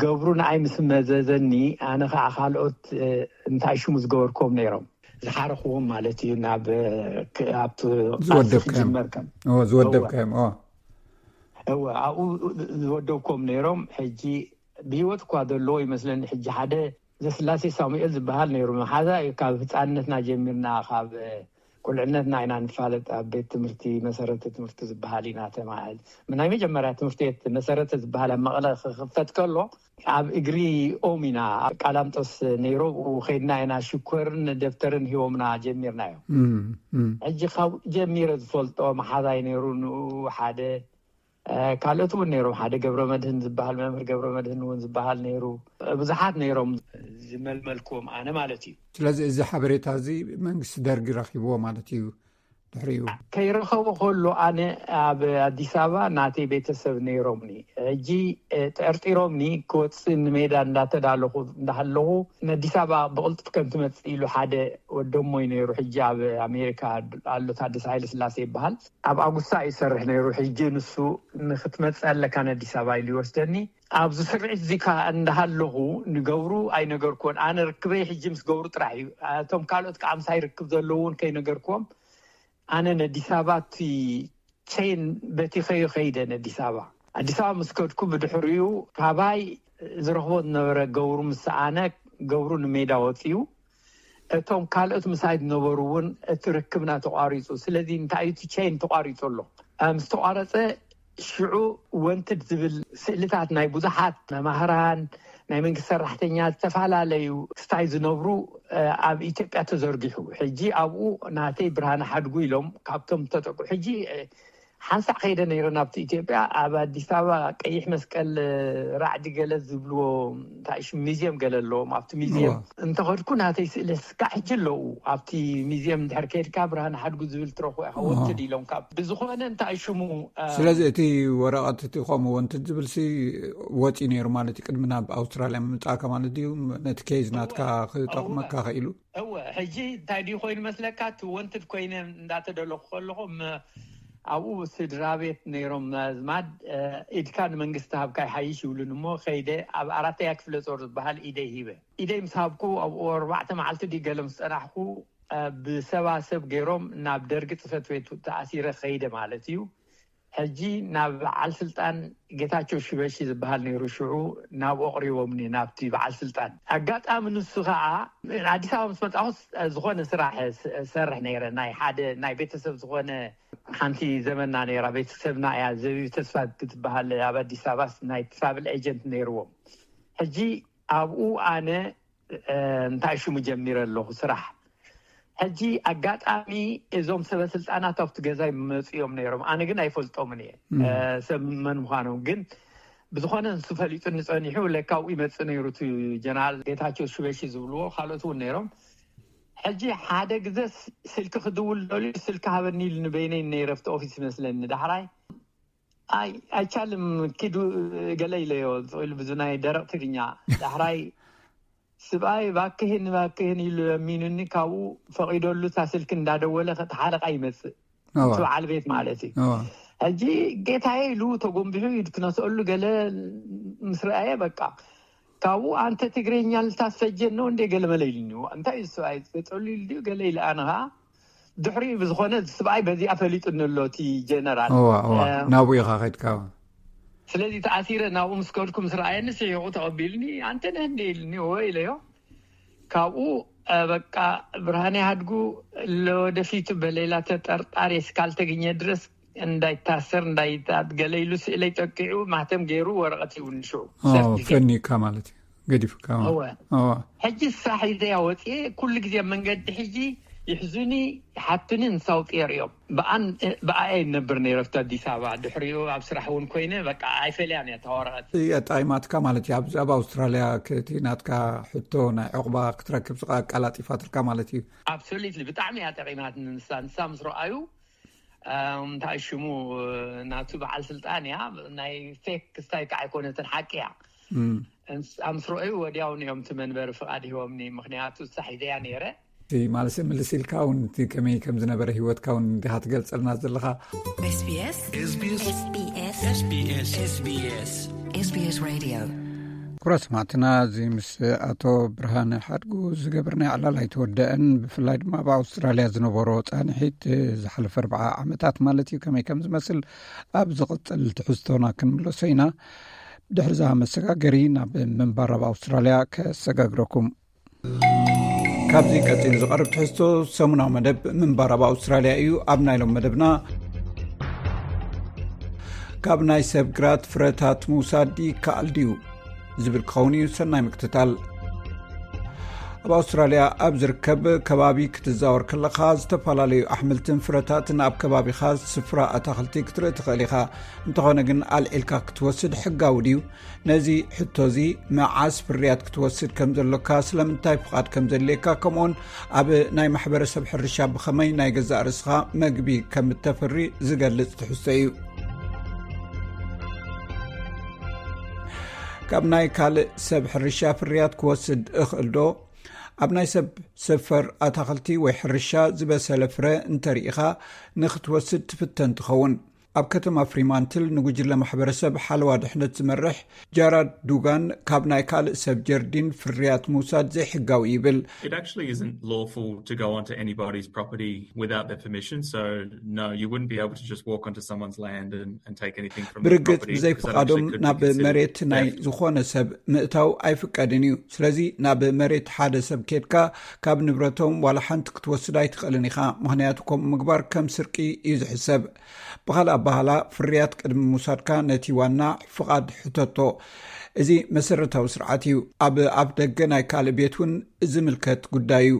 ገብሩ ንኣይ ምስ መዘዘኒ፣ ኣነ ከዓ ካልኦት እንታይ ሽሙ ዝገበርክዎም ነይሮም፣ ዝሓረኽዎም ማለት እዩ፣ ናብ ኣብቲ ቃልሲ ክጅመር ከም ዝወደብካዮም። እወ፣ ኣብኡ ዝወደብክዎም ነይሮም። ሕጂ ብህይወት እኳ ዘለዎ ይመስለኒ። ሕጂ ሓደ ዘስላሴ ሳሙኤል ዝበሃል ነይሩ፣ መሓዛ እዩ። ካብ ህፃንነትና ጀሚርና፣ ካብ ቁልዕነትና ኢና ንፋለጥ። ኣብ ቤት ትምህርቲ መሰረተ ትምህርቲ ዝበሃል ኢና ተማሃል። ናይ መጀመርያ ትምህርቲ ቤት መሰረተ ዝበሃል ኣብ መቐለ ክኽፈት ከሎ ኣብ እግሪ ኦም ኢና፣ ኣብ ቃላምጦስ ነይሮ፣ ብኡ ከይድና ኢና ሽኮርን ደብተርን ሂቦምና ጀሚርናዮ። ሕጂ ካብ ጀሚረ ዝፈልጦ መሓዛይ ነይሩ፣ ንኡ ሓደ ካልኦት እውን ነይሮም። ሓደ ገብረ መድህን ዝበሃል፣ መምህር ገብረ መድህን እውን ዝበሃል ነይሩ። ብዙሓት ነይሮም ዝመልመልክዎም ኣነ ማለት እዩ። ስለዚ እዚ ሓበሬታ እዚ መንግስቲ ደርጊ ረኪብዎ ማለት እዩ። ድሕሪኡ ከይረኸቦ ከሎ ኣነ ኣብ ኣዲስ ኣበባ ናተይ ቤተሰብ ነይሮምኒ። ሕጂ ጠርጢሮምኒ ክወፅእ ንሜዳ እንዳተዳለኹ እንዳሃለኹ፣ ንኣዲስ ኣበባ ብቕልጡፍ ከም ትመፅእ ኢሉ ሓደ ወደሞይ ነይሩ። ሕጂ ኣብ ኣሜሪካ ኣሎ፣ ታደሰ ሃይለ ስላሴ ይበሃል። ኣብ ኣጉሳ ይሰርሕ ነይሩ። ሕጂ ንሱ ንክትመፅእ ኣለካ ንኣዲስ ኣበባ ኢሉ ይወስደኒ። ኣብዚ ስርዒት እዚ ከዓ እንዳሃለኹ ንገብሩ ኣይነገርኩዎን። ኣነ ርክበይ ሕጂ ምስ ገብሩ ጥራሕ እዩ። እቶም ካልኦት ከዓ ምሳይ ርክብ ዘለዉ እውን ከይነገርኩዎም ኣነ ነዲስ ኣበባ እቲ ቼን በቲኸዮ ከይደ ነዲስ ኣበባ። ኣዲስ ኣበባ ምስ ከድኩ ብድሕሪኡ ካባይ ዝረኽቦ ዝነበረ ገብሩ ምስ ሰኣነ፣ ገብሩ ንሜዳ ወፂኡ። እቶም ካልኦት ምሳይ ዝነበሩ እውን እቲ ርክብና ተቋሪፁ። ስለዚ እንታይ እዩ እቲ ቼን ተቋሪፁ ኣሎ። ምስ ተቋረፀ ሽዑ ወንትድ ዝብል ስእልታት ናይ ብዙሓት መማህራን፣ ናይ መንግስቲ ሰራሕተኛ፣ ዝተፈላለዩ ክስታይ ዝነብሩ ኣብ ኢትዮጵያ ተዘርጊሑ። ሕጂ ኣብኡ ናተይ ብርሃነ ሓድጉ ኢሎም ካብቶም ተጠቁ። ሕጂ ሓንሳዕ ከይደ ነይረ ናብቲ ኢትዮጵያ። ኣብ ኣዲስ ኣበባ ቀይሕ መስቀል ራዕዲ ገለ ዝብልዎ እንታይ ሽም ሚዝየም ገለ ኣለዎም። ኣብቲ ሚዝየም እንተኸድኩ ናተይ ስእሊ እስካዕ ሕጂ ኣለዉ። ኣብቲ ሚዝየም እንድሕር ከይድካ ብርሃነ ሓድጉ ዝብል ትረኽቦ ኢኻ። ወንትድ ኢሎም ካብ ብዝኾነ እንታይ ሽሙ ስለዚ እቲ ወረቐት እቲ ከምኡ ወንትድ ዝብል ሲ ወፂ ነይሩ ማለት እዩ። ቅድሚ ናብ ኣውስትራልያ ምምፃእካ ማለት ድዩ? ነቲ ኬዝ ናትካ ክጠቕመካ ክኢሉ? እወ፣ ሕጂ እንታይ ድዩ ኮይኑ መስለካ? እቲ ወንትድ ኮይነ እንዳተደለኹ ከለኹ ም- ኣብኡ ስድራ ቤት ነይሮም ኣዝማድ። ኢድካ ንመንግስቲ ሃብካ ይሓይሽ ይብሉን እሞ ከይደ ኣብ ኣራተያ ክፍለ ጦር ዝበሃል ኢደይ ሂበ። ኢደይ ምስ ሃብኩ ኣብኡ ኣርባዕተ መዓልቲ ድዩ ገለ ምስ ፀናሕኩ ብሰባ ሰብ ገይሮም ናብ ደርጊ ፅፈት ቤት ተኣሲረ ከይደ ማለት እዩ። ሕጂ ናብ በዓል ስልጣን ጌታቸው ሽበሺ ዝበሃል ነይሩ። ሽዑ ናብኡ ኣቕሪቦምኒ፣ ናብቲ በዓል ስልጣን። ኣጋጣሚ ንሱ ከዓ ኣዲስ ኣበባ ምስ መጣኹስ ዝኾነ ስራሕ ሰርሕ ነይረ። ናይ ሓደ ናይ ቤተሰብ ዝኾነ ሓንቲ ዘመና ነይራ፣ ቤተሰብና እያ፣ ዘቢብ ተስፋ ክትበሃል፣ ኣብ ኣዲስ ኣበባ ናይ ትራቭል ኤጀንት ነይርዎም። ሕጂ ኣብኡ ኣነ እንታይ ሽሙ ጀሚረ ኣለኹ ስራሕ። ሕጂ ኣጋጣሚ እዞም ሰበ ስልጣናት ኣብቲ ገዛይ መፅኦም ነይሮም። ኣነ ግን ኣይፈልጦምን እየ ሰብ መን ምዃኖም። ግን ብዝኾነ ንሱ ፈሊጡ ንፀኒሑ ለካ ኣብኡ ይመፅእ ነይሩ። እቲ ጀነራል ጌታቸው ሽበሺ ዝብልዎ ካልኦት እውን ነይሮም። ሕጂ ሓደ ግዘ ስልኪ ክድውል ደልዩ ስልኪ ሃበኒ ኢሉ ንበይነይ ነይረ ኣብቲ ኦፊስ ይመስለኒ። ዳሕራይ ኣይ ኣይቻልም ኪዱ ገለ ኢለዮ ኢሉ ብዙ ናይ ደረቕ ትግርኛ። ዳሕራይ ስብኣይ ባክህን ባክህን ኢሉ ለሚኑኒ፣ ካብኡ ፈቒደሉ እታ ስልኪ እንዳደወለ እቲ ሓለቓ ይመፅእ እቲ በዓል ቤት ማለት እዩ። ሕጂ ጌታዬ ኢሉ ተጎንቢሑ ኢድ ክነስአሉ ገለ ምስ ረኣየ በቃ ካብኡ ኣንተ ትግርኛ ልታስፈጀን ነው እንዴ ገለ መለ ኢሉኒ። እንታይ እዩ ሰብኣይ ገጠሉ ኢሉ ድዩ ገለ ኢለ ኣነ ከዓ ድሕሪኡ ብዝኾነ ስብኣይ በዚኣ ፈሊጡኒ ኣሎ እቲ ጀነራል። እዋ እዋ ናብኡ ኢኻ ከድካ። ስለዚ ተኣሲረ ናብኡ ምስ ከድኩ ምስ ረኣየኒ ስሒቑ ተቐቢልኒ ኣንተ ነህ እንደ ኢልኒ እወ ኢለዮ። ካብኡ በቃ ብርሃን ያድጉ ለወደፊቱ በሌላ ተጠርጣሪ እስካልተገኘ ድረስ እንዳይታሰር እንዳይታት ገለ ኢሉ ስእለይ ጠቂዑ ማህተም ገይሩ ወረቐት ይውንሹ። ፈኒካ ማለት እዩ፣ ገዲፍካ። ሕጂ ሳሕ ኢዘያ ወፅኤ ኩሉ ግዜ መንገዲ ሕጂ ይሕዙኒ፣ ይሓቱኒ፣ እንሳውጥ የርእዮም። ብኣይ ነብር ነይረፍቲ ኣዲስ ኣበባ። ድሕሪኡ ኣብ ስራሕ እውን ኮይነ በቃ ኣይፈልያን እያ ታወረቐት። እጣይማትካ ማለት እዩ። ኣብ ኣውስትራልያ ክእቲ ናትካ ሕቶ ናይ ዕቑባ ክትረክብ ኣቃላጢፋትልካ ማለት እዩ። ኣብሶሉትሊ ብጣዕሚ እያ ጠቂማት። ንሳ ንሳ ምስ ረኣዩ እንታይ ሽሙ ናቱ በዓል ስልጣን እያ። ናይ ፌክ ክስታይ ከዓ ኣይኮነትን፣ ሓቂ እያ። ምስ ረኣዩ ወዲያውን እዮም እቲ መንበሪ ፍቓድ ሂቦምኒ። ምክንያቱ ሳሕ ኢዘያ ነይረ። ማለሰ ምልስ ኢልካ እውን እቲ ከመይ ከም ዝነበረ ህይወትካ እውን እንዲኻ ትገልጸልና ዘለኻ። SBS SBS Radio። ኩራ ሰማዕትና፣ እዚ ምስ ኣቶ ብርሃነ ሓድጉ ዝገበርናዮ ዕላል ኣይተወደአን። ብፍላይ ድማ ኣብ ኣውስትራልያ ዝነበሮ ጻንሒት ዝሓለፈ ኣርብዓ ዓመታት ማለት እዩ ከመይ ከም ዝመስል ኣብ ዝቕጽል ትሕዝቶና ክንምለሶ ኢና። ድሕሪ እዛ መሰጋገሪ ናብ ምንባር ኣብ ኣውስትራልያ ከሰጋግረኩም። ካብዚ ቀጺሉ ዝቐርብ ትሕዝቶ ሰሙናዊ መደብ ምንባር ኣብ ኣውስትራልያ እዩ። ኣብ ናይ ሎም መደብና ካብ ናይ ሰብ ግራት ፍረታት ምውሳድ ይከኣል ድዩ ዝብል ክኸውን እዩ። ሰናይ ምክትታል። ኣብ ኣውስትራልያ ኣብ ዝርከብ ከባቢ ክትዛወር ከለኻ ዝተፈላለዩ ኣሕምልትን ፍረታትን ኣብ ከባቢኻ ስፍራ ኣታኽልቲ ክትርኢ ትኽእል ኢኻ። እንተኾነ ግን ኣልዒልካ ክትወስድ ሕጋዊ ድዩ? ነዚ ሕቶ እዚ መዓስ ፍርያት ክትወስድ ከም ዘሎካ፣ ስለምንታይ ፍቓድ ከም ዘድልየካ፣ ከምኡውን ኣብ ናይ ማሕበረሰብ ሕርሻ ብኸመይ ናይ ገዛእ ርእስኻ መግቢ ከም እተፍሪ ዝገልጽ ትሕዝቶ እዩ። ካብ ናይ ካልእ ሰብ ሕርሻ ፍርያት ክወስድ እኽእል ዶ? ኣብ ናይ ሰብ ሰፈር ኣታኽልቲ ወይ ሕርሻ ዝበሰለ ፍረ እንተርኢኻ ንኽትወስድ ትፍተን ትኸውን። ኣብ ከተማ ፍሪማንትል ንጉጅለ ማሕበረሰብ ሓለዋ ድሕነት ዝመርሕ ጃራድ ዱጋን ካብ ናይ ካልእ ሰብ ጀርዲን ፍርያት ምውሳድ ዘይሕጋዊ ይብል። It actually isn't lawful to go onto anybody's property without their permission, so no, you wouldn't be able to just walk onto someone's land and, and take anything from their ብርግጽ property, 'cause that ብዘይፍቓዶም actually could be ናብ considered መሬት ናይ theft. ዝኾነ ሰብ ምእታው ኣይፍቀድን እዩ። ስለዚ ናብ መሬት ሓደ ሰብ ኬድካ ካብ ንብረቶም ዋላ ሓንቲ ክትወስድ ኣይትኽእልን ኢኻ፣ ምኽንያቱ ከምኡ ምግባር ከም ስርቂ እዩ ዝሕሰብ። ብኻልእ ኣባህላ ፍርያት ቅድሚ ምውሳድካ ነቲ ዋና ፍቓድ ሕተቶ። እዚ መሰረታዊ ስርዓት እዩ። ኣብ ኣፍ ደገ ናይ ካልእ ቤት እውን ዝምልከት ጉዳይ እዩ።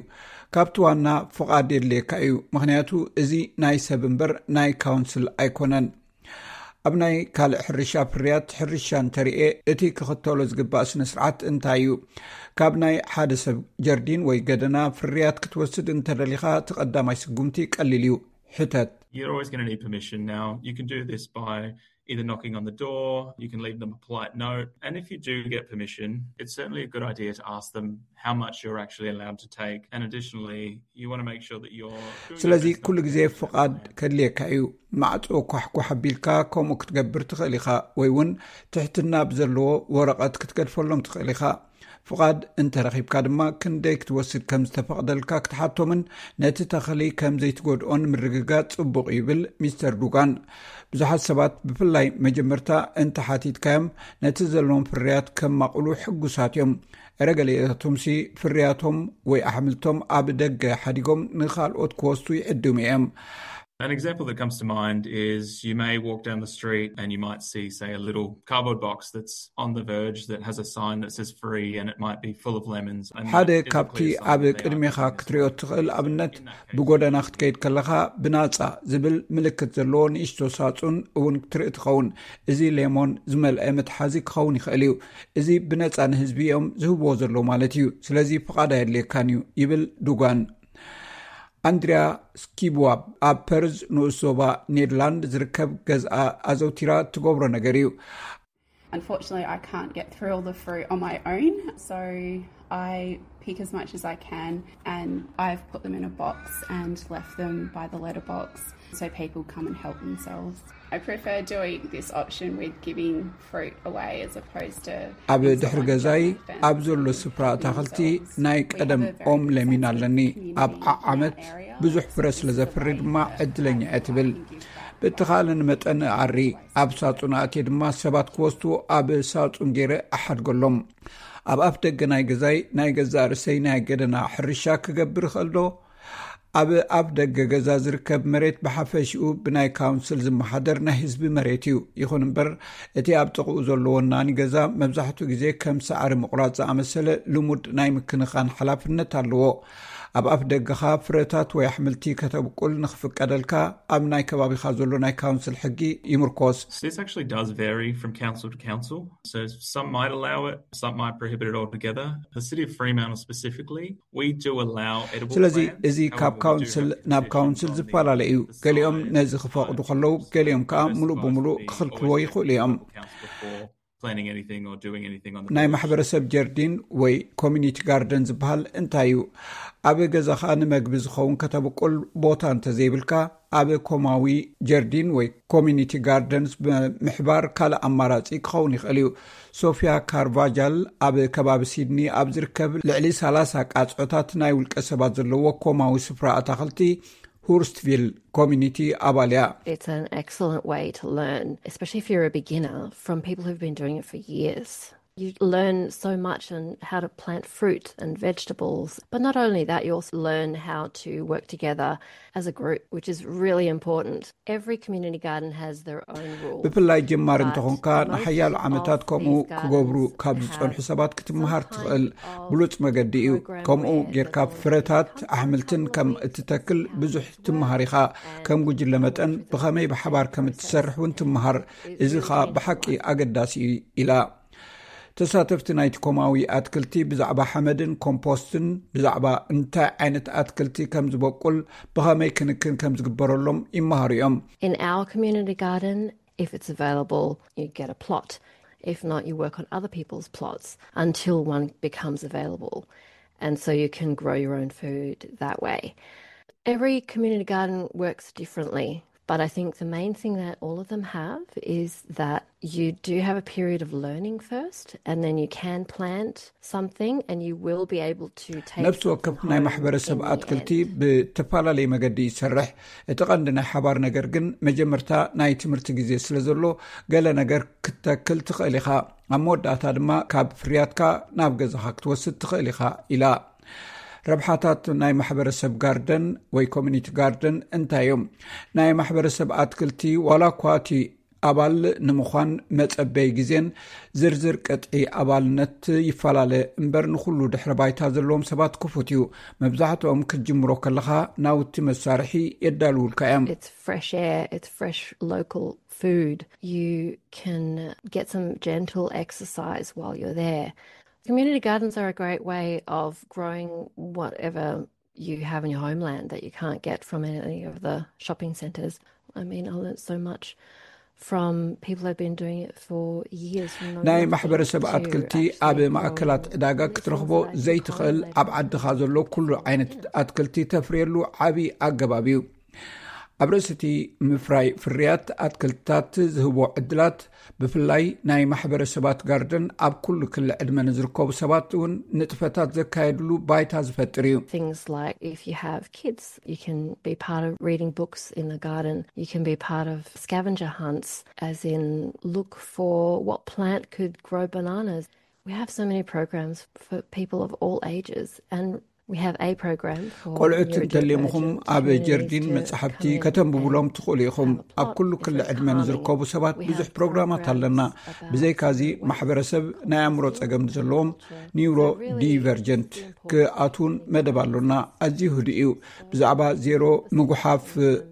ካብቲ ዋና ፍቓድ የድልየካ እዩ፣ ምኽንያቱ እዚ ናይ ሰብ እምበር ናይ ካውንስል ኣይኮነን። ኣብ ናይ ካልእ ሕርሻ ፍርያት ሕርሻ እንተርኤ እቲ ክኽተሎ ዝግባእ ስነ ስርዓት እንታይ እዩ? ካብ ናይ ሓደ ሰብ ጀርዲን ወይ ገደና ፍርያት ክትወስድ እንተደሊኻ እቲ ቀዳማይ ስጉምቲ ቀሊል እዩ። ሕተት። You're always going to need permission now. You can do this by either knocking on the door, you can leave them a polite note, and if you do get permission, it's certainly a good idea to ask them how much you're actually allowed to take. And additionally, you want to make sure that you're doing your ስለዚ best not ኩሉ to ግዜ get ፍቓድ ከድልየካ እዩ። ማዕጾ ኳሕኳሕ ኣቢልካ ከምኡ ክትገብር ትኽእል ኢኻ፣ ወይ እውን ትሕትና ብዘለዎ ወረቐት ክትገድፈሎም ትኽእል ኢኻ። ፍቓድ እንተረኺብካ ድማ ክንደይ ክትወስድ ከም ዝተፈቕደልካ ክትሓቶምን ነቲ ተኽሊ ከም ዘይትጎድኦን ምርግጋጽ ጽቡቕ እዩ ይብል ሚስተር ዱጋን። ብዙሓት ሰባት ብፍላይ መጀመርታ እንተሓቲትካዮም ነቲ ዘለዎም ፍርያት ከማቕሉ ሕጉሳት እዮም። እረ ገሊኦቶምሲ ፍርያቶም ወይ ኣሕምልቶም ኣብ ደገ ሓዲጎም ንኻልኦት ክወስዱ ይዕድሙ እዮም። An example that comes to mind is you may walk down the street and you might see, say, a little cardboard box that's on the verge that has a sign that says free and it might be full of lemons. And ሓደ that is a ካብቲ clear sign ኣብ that they are ቅድሜኻ keeping this ክትሪኦ one እትኽእል free. So ኣብነት in that case, ብጎደና ክትከይድ ከለኻ ብናጻ ዝብል ምልክት ዘለዎ ንእሽቶ ሳጹን እውን ክትርኢ ትኸውን። እዚ ሌሞን ዝመልአ መትሓዚ ክኸውን ይኽእል እዩ። እዚ ብነጻ ንህዝቢ እዮም ዝህብዎ ዘለዉ ማለት እዩ። ስለዚ ፍቓድ ኣየድልየካን እዩ ይብል ዱጋን። ኣንድሪያ ስኪብዋብ ኣብ ፐርዝ ንኡስ ዞባ ኔድላንድ ዝርከብ ገዝኣ ኣዘውቲራ ትገብሮ ነገር እዩ። Unfortunately, I can't get through all the fruit on my own, so I pick as much as I can and I've put them in a box and left them by the letterbox so people come and help themselves. I prefer doing this option with giving fruit away as opposed to ኣብ ድሕሪ ገዛይ ኣብ ዘሎ ስፍራ ኣታኽልቲ ናይ ቀደም ኦም ለሚን ኣለኒ። ኣብ ዓዓመት ብዙሕ ፍረ ስለ ዘፍሪ ድማ ዕድለኛ እየ ትብል። ብእተኻእለኒ መጠን እኣሪ ኣብ ሳጹን ኣእትየ ድማ ሰባት ክወስድዎ ኣብ ሳጹን ገይረ እሓድገሎም። ኣብ ኣፍ ደገ ናይ ገዛይ ናይ ገዛእ ርእሰይ ናይ ገደና ሕርሻ ክገብር እኽእል ዶ? ኣብ ኣፍ ደገ ገዛ ዝርከብ መሬት ብሓፈሽኡ ብናይ ካውንስል ዝመሓደር ናይ ህዝቢ መሬት እዩ። ይኹን እምበር፣ እቲ ኣብ ጥቕኡ ዘሎ ወናኒ ገዛ መብዛሕትኡ ግዜ ከም ሳዕሪ ምቑራጽ ዝኣመሰለ ልሙድ ናይ ምክንኻን ሓላፍነት ኣለዎ። ኣብ ኣፍ ደገኻ ፍረታት ወይ ኣሕምልቲ ከተብቁል ንኽፍቀደልካ፣ ኣብ ናይ ከባቢኻ ዘሎ ናይ ካውንስል ሕጊ ይምርኮስ። This actually does vary from council to council. So some might allow it, some might prohibit it altogether. The City of Fremantle specifically, we do allow edible ስለዚ plants. እዚ ካብ However, we do ካውንስል have ናብ restrictions ካውንስል on the ዝፈላለ እዩ። ገሊኦም size, ነዚ ክፈቕዱ ከለዉ፣ ገሊኦም ከዓ ሙሉእ ብሙሉእ ክኽልክልዎ ይኽእሉ እዮም። Planting anything or doing anything on the ናይ beach. ማሕበረሰብ ጀርዲን ወይ ኮሚኒቲ ጋርደን ዝበሃል እንታይ እዩ? ኣብ ገዛኻ ንመግቢ ዝኸውን ከተብቁል ቦታ እንተዘይብልካ፣ ኣብ ኮማዊ ጀርዲን ወይ ኮሚኒቲ ጋርደንስ ብምሕባር ካልእ ኣማራጺ ክኸውን ይኽእል እዩ። ሶፊያ ካርቫጃል ኣብ ከባቢ ሲድኒ ኣብ ዝርከብ ልዕሊ ሰላሳ ቃጽዖታት ናይ ውልቀ ሰባት ዘለዎ ኮማዊ ስፍራ ኣታኽልቲ ሁርስቪል ኮሚኒቲ ኣባል እያ። It's an excellent way to learn, especially if you're a beginner, from people who've been doing it for years. You learn so much on how to plant fruit and vegetables. But not only that, you also learn how to work together as a group, which is really important. Every community garden has their own rules. ብፍላይ ጀማሪ But እንተኾንካ፣ most ንሓያሎ of ዓመታት ከምኡ these ክገብሩ gardens ካብ ዝጸንሑ have ሰባት ክትመሃር some ትኽእል kind of ብሉጽ መገዲ እዩ። program ከምኡ where ጌርካ the board ፍረታት has ኣሕምልትን ከም publicly እትተክል ብዙሕ ትመሃር ኢኻ። ከም ጉጅለ መጠን ብኸመይ ብሓባር ከም እትሰርሕ እውን ትመሃር። እዚ ኸኣ ብሓቂ ኣገዳሲ እዩ ኢላ። ተሳተፍቲ ናይቲ ኮማዊ ኣትክልቲ ብዛዕባ ሓመድን ኮምፖስትን፣ ብዛዕባ እንታይ ዓይነት ኣትክልቲ ከም ዝበቁል፣ ብኸመይ ክንክን ከም ዝግበረሎም ይመሃሩ እዮም። In our community garden, if it's available, you get a plot. If not, you work on other people's plots until one becomes available. And so you can grow your own food that way. Every community garden works differently, but I think the main thing that all of them have is that you do have a period of learning first, and then you can plant something, and you will be able to take ነፍሲ ወከፍ ናይ ማሕበረሰብ ኣትክልቲ ብተፈላለየ መገዲ ይሰርሕ። እቲ ቀንዲ ናይ ሓባር ነገር ግን መጀመርታ ናይ ትምህርቲ ግዜ ስለ ዘሎ፣ ገለ ነገር ክትተክል ትኽእል ኢኻ። ኣብ መወዳእታ ድማ ካብ ፍርያትካ ናብ ገዛኻ ክትወስድ ትኽእል ኢኻ ኢላ። ረብሓታት ናይ ማሕበረሰብ ጋርደን ወይ ኮሚኒቲ ጋርደን እንታይ እዮም? ናይ ማሕበረሰብ ኣትክልቲ ዋላ እኳ እቲ ኣባል ንምዃን መጸበይ ግዜን ዝርዝር ቅጥዒ ኣባልነት ይፈላለ እምበር፣ ንኹሉ ድሕረ ባይታ ዘለዎም ሰባት ክፉት እዩ። መብዛሕትኦም ክትጅምሮ ከለኻ ናውቲ መሳርሒ የዳልውልካ እዮም። It's fresh air, it's fresh local food. You can get some gentle exercise while you're there. Community gardens are a great way of growing whatever you have in your homeland that you can't get from any of the shopping centres. I mean, I learnt so much from people who've been doing it for years. ናይ ማሕበረሰብ ኣትክልቲ ኣብ ማእከላት ዕዳጋ ክትረኽቦ ዘይትኽእል፣ ኣብ ዓድኻ ዘሎ ኩሉ ዓይነት ኣትክልቲ ተፍርየሉ ዓቢ ኣገባብ እዩ። ኣብ ርእሲ እቲ ምፍራይ ፍርያት ኣትክልትታት ዝህቦ ዕድላት፣ ብፍላይ ናይ ማሕበረሰባት ጋርደን ኣብ ኩሉ ክሊ ዕድመ ንዝርከቡ ሰባት እውን ንጥፈታት ዘካየድሉ ባይታ ዝፈጥር እዩ። Things like if you have kids, you can be part of reading books in the garden. You can be part of scavenger hunts, as in look for what plant could grow bananas. We have so many programs for people of all ages, and we have a program for ቆልዑት እንተልየምኹም፣ ኣብ ጀርዲን መጻሕፍቲ ከተንብቡሎም ትኽእሉ ኢኹም። ኣብ ኩሉ ክሊ ዕድመ ንዝርከቡ ሰባት ብዙሕ ፕሮግራማት ኣለና። ብዘይካዚ፣ ማሕበረሰብ ናይ ኣእምሮ ጸገም ዘለዎም፣ ኒውሮ ዲቨርጀንት፣ ክኣትውን መደብ ኣሎና። ኣዝዩ ህዱእ እዩ። ብዛዕባ ዜሮ ምጉሓፍ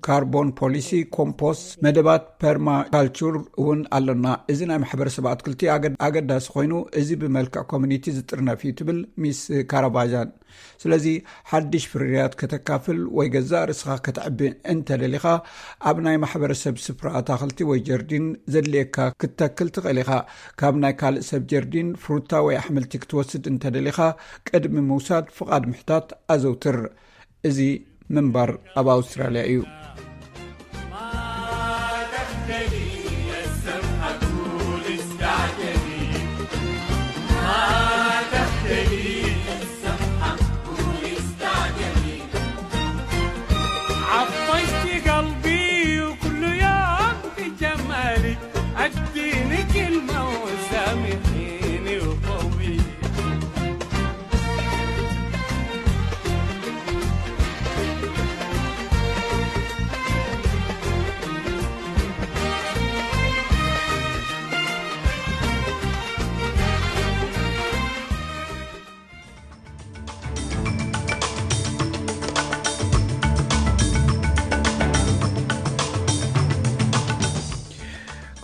ካርቦን ፖሊሲ፣ ኮምፖስት፣ መደባት ፐርማካልቹር እውን ኣሎና። እዚ ናይ ማሕበረሰብ ኣትክልቲ ኣገዳሲ ኮይኑ፣ እዚ ብመልክዕ ኮሚኒቲ ዝጥርነፍ እዩ፣ ትብል ሚስ ካራቫጃን። ስለዚ፣ ሓድሽ ፍርያት ከተካፍል ወይ ገዛእ ርእስኻ ከተዕቢ እንተደሊኻ፣ ኣብ ናይ ማሕበረሰብ ስፍራ ኣታኽልቲ ወይ ጀርዲን ዘድልየካ ክትተክል ትኽእል ኢኻ። ካብ ናይ ካልእ ሰብ ጀርዲን ፍሩታ ወይ ኣሕምልቲ ክትወስድ እንተደሊኻ፣ ቅድሚ ምውሳድ ፍቓድ ምሕታት ኣዘውትር። እዚ ምንባር ኣብ ኣውስትራልያ እዩ። عطشت قلبي وكل يوم تجملي، اديني كلمة وسامحيني وطولي.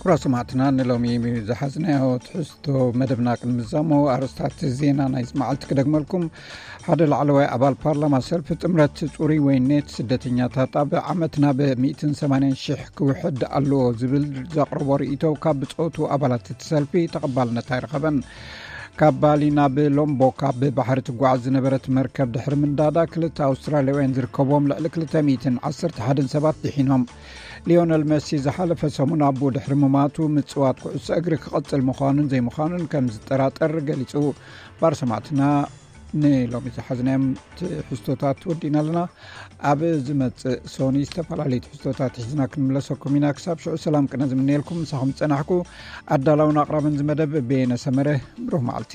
ክቡራት ሰማዕትና፣ ንሎሚ ዝሓዝናዮ ትሕዝቶ መደብና ክንምዛሞ፣ ኣርእስታት ዜና ናይዚ መዓልቲ ክደግመልኩም። ሓደ ላዕለዋይ ኣባል ፓርላማ ሰልፊ ጥምረት ጽሩይ ወይኔት ስደተኛታት ኣብ ዓመት ናብ ሚእትን ሰማንያን ሽሕ ክውሕድ ኣለዎ ዝብል ዘቕረቦ ርእይቶ ካብ ብጾቱ ኣባላት እቲ ሰልፊ ተቐባልነት ኣይረኸበን። ካብ ባሊ ናብ ሎምቦክ ኣብ ባሕሪ ትጓዓዝ ዝነበረት መርከብ ድሕሪ ምንዳዳ፣ ክልተ ኣውስትራልያውያን ዝርከብዎም ልዕሊ ክልተ ሚእትን ዓሰርተ ሓደን ሰባት ድሒኖም። ሊዮነል መሲ ዝሓለፈ ሰሙን ኣቦ ድሕሪ ምማቱ ምጽዋት ኩዕሶ እግሪ ክቐጽል ምዃኑን ዘይምዃኑን ከም ዝጠራጠር ገሊጹ። ባር ሰማዕትና፣ ንሎሚ ዝሓዝናዮም ትሕዝቶታት ወዲእና ኣለና። ኣብ ዝመጽእ ሶኒ ዝተፈላለዩ ትሕዝቶታት ሒዝና ክንምለሰኩም ኢና። ክሳብ ሽዑ ሰላም ቅነ ዝምነየልኩም፣ ምሳኹም ዝጸናሕኩ ኣዳላውን ኣቕራብን ዝመደብ በየነ ሰመረ። ብሩህ መዓልቲ።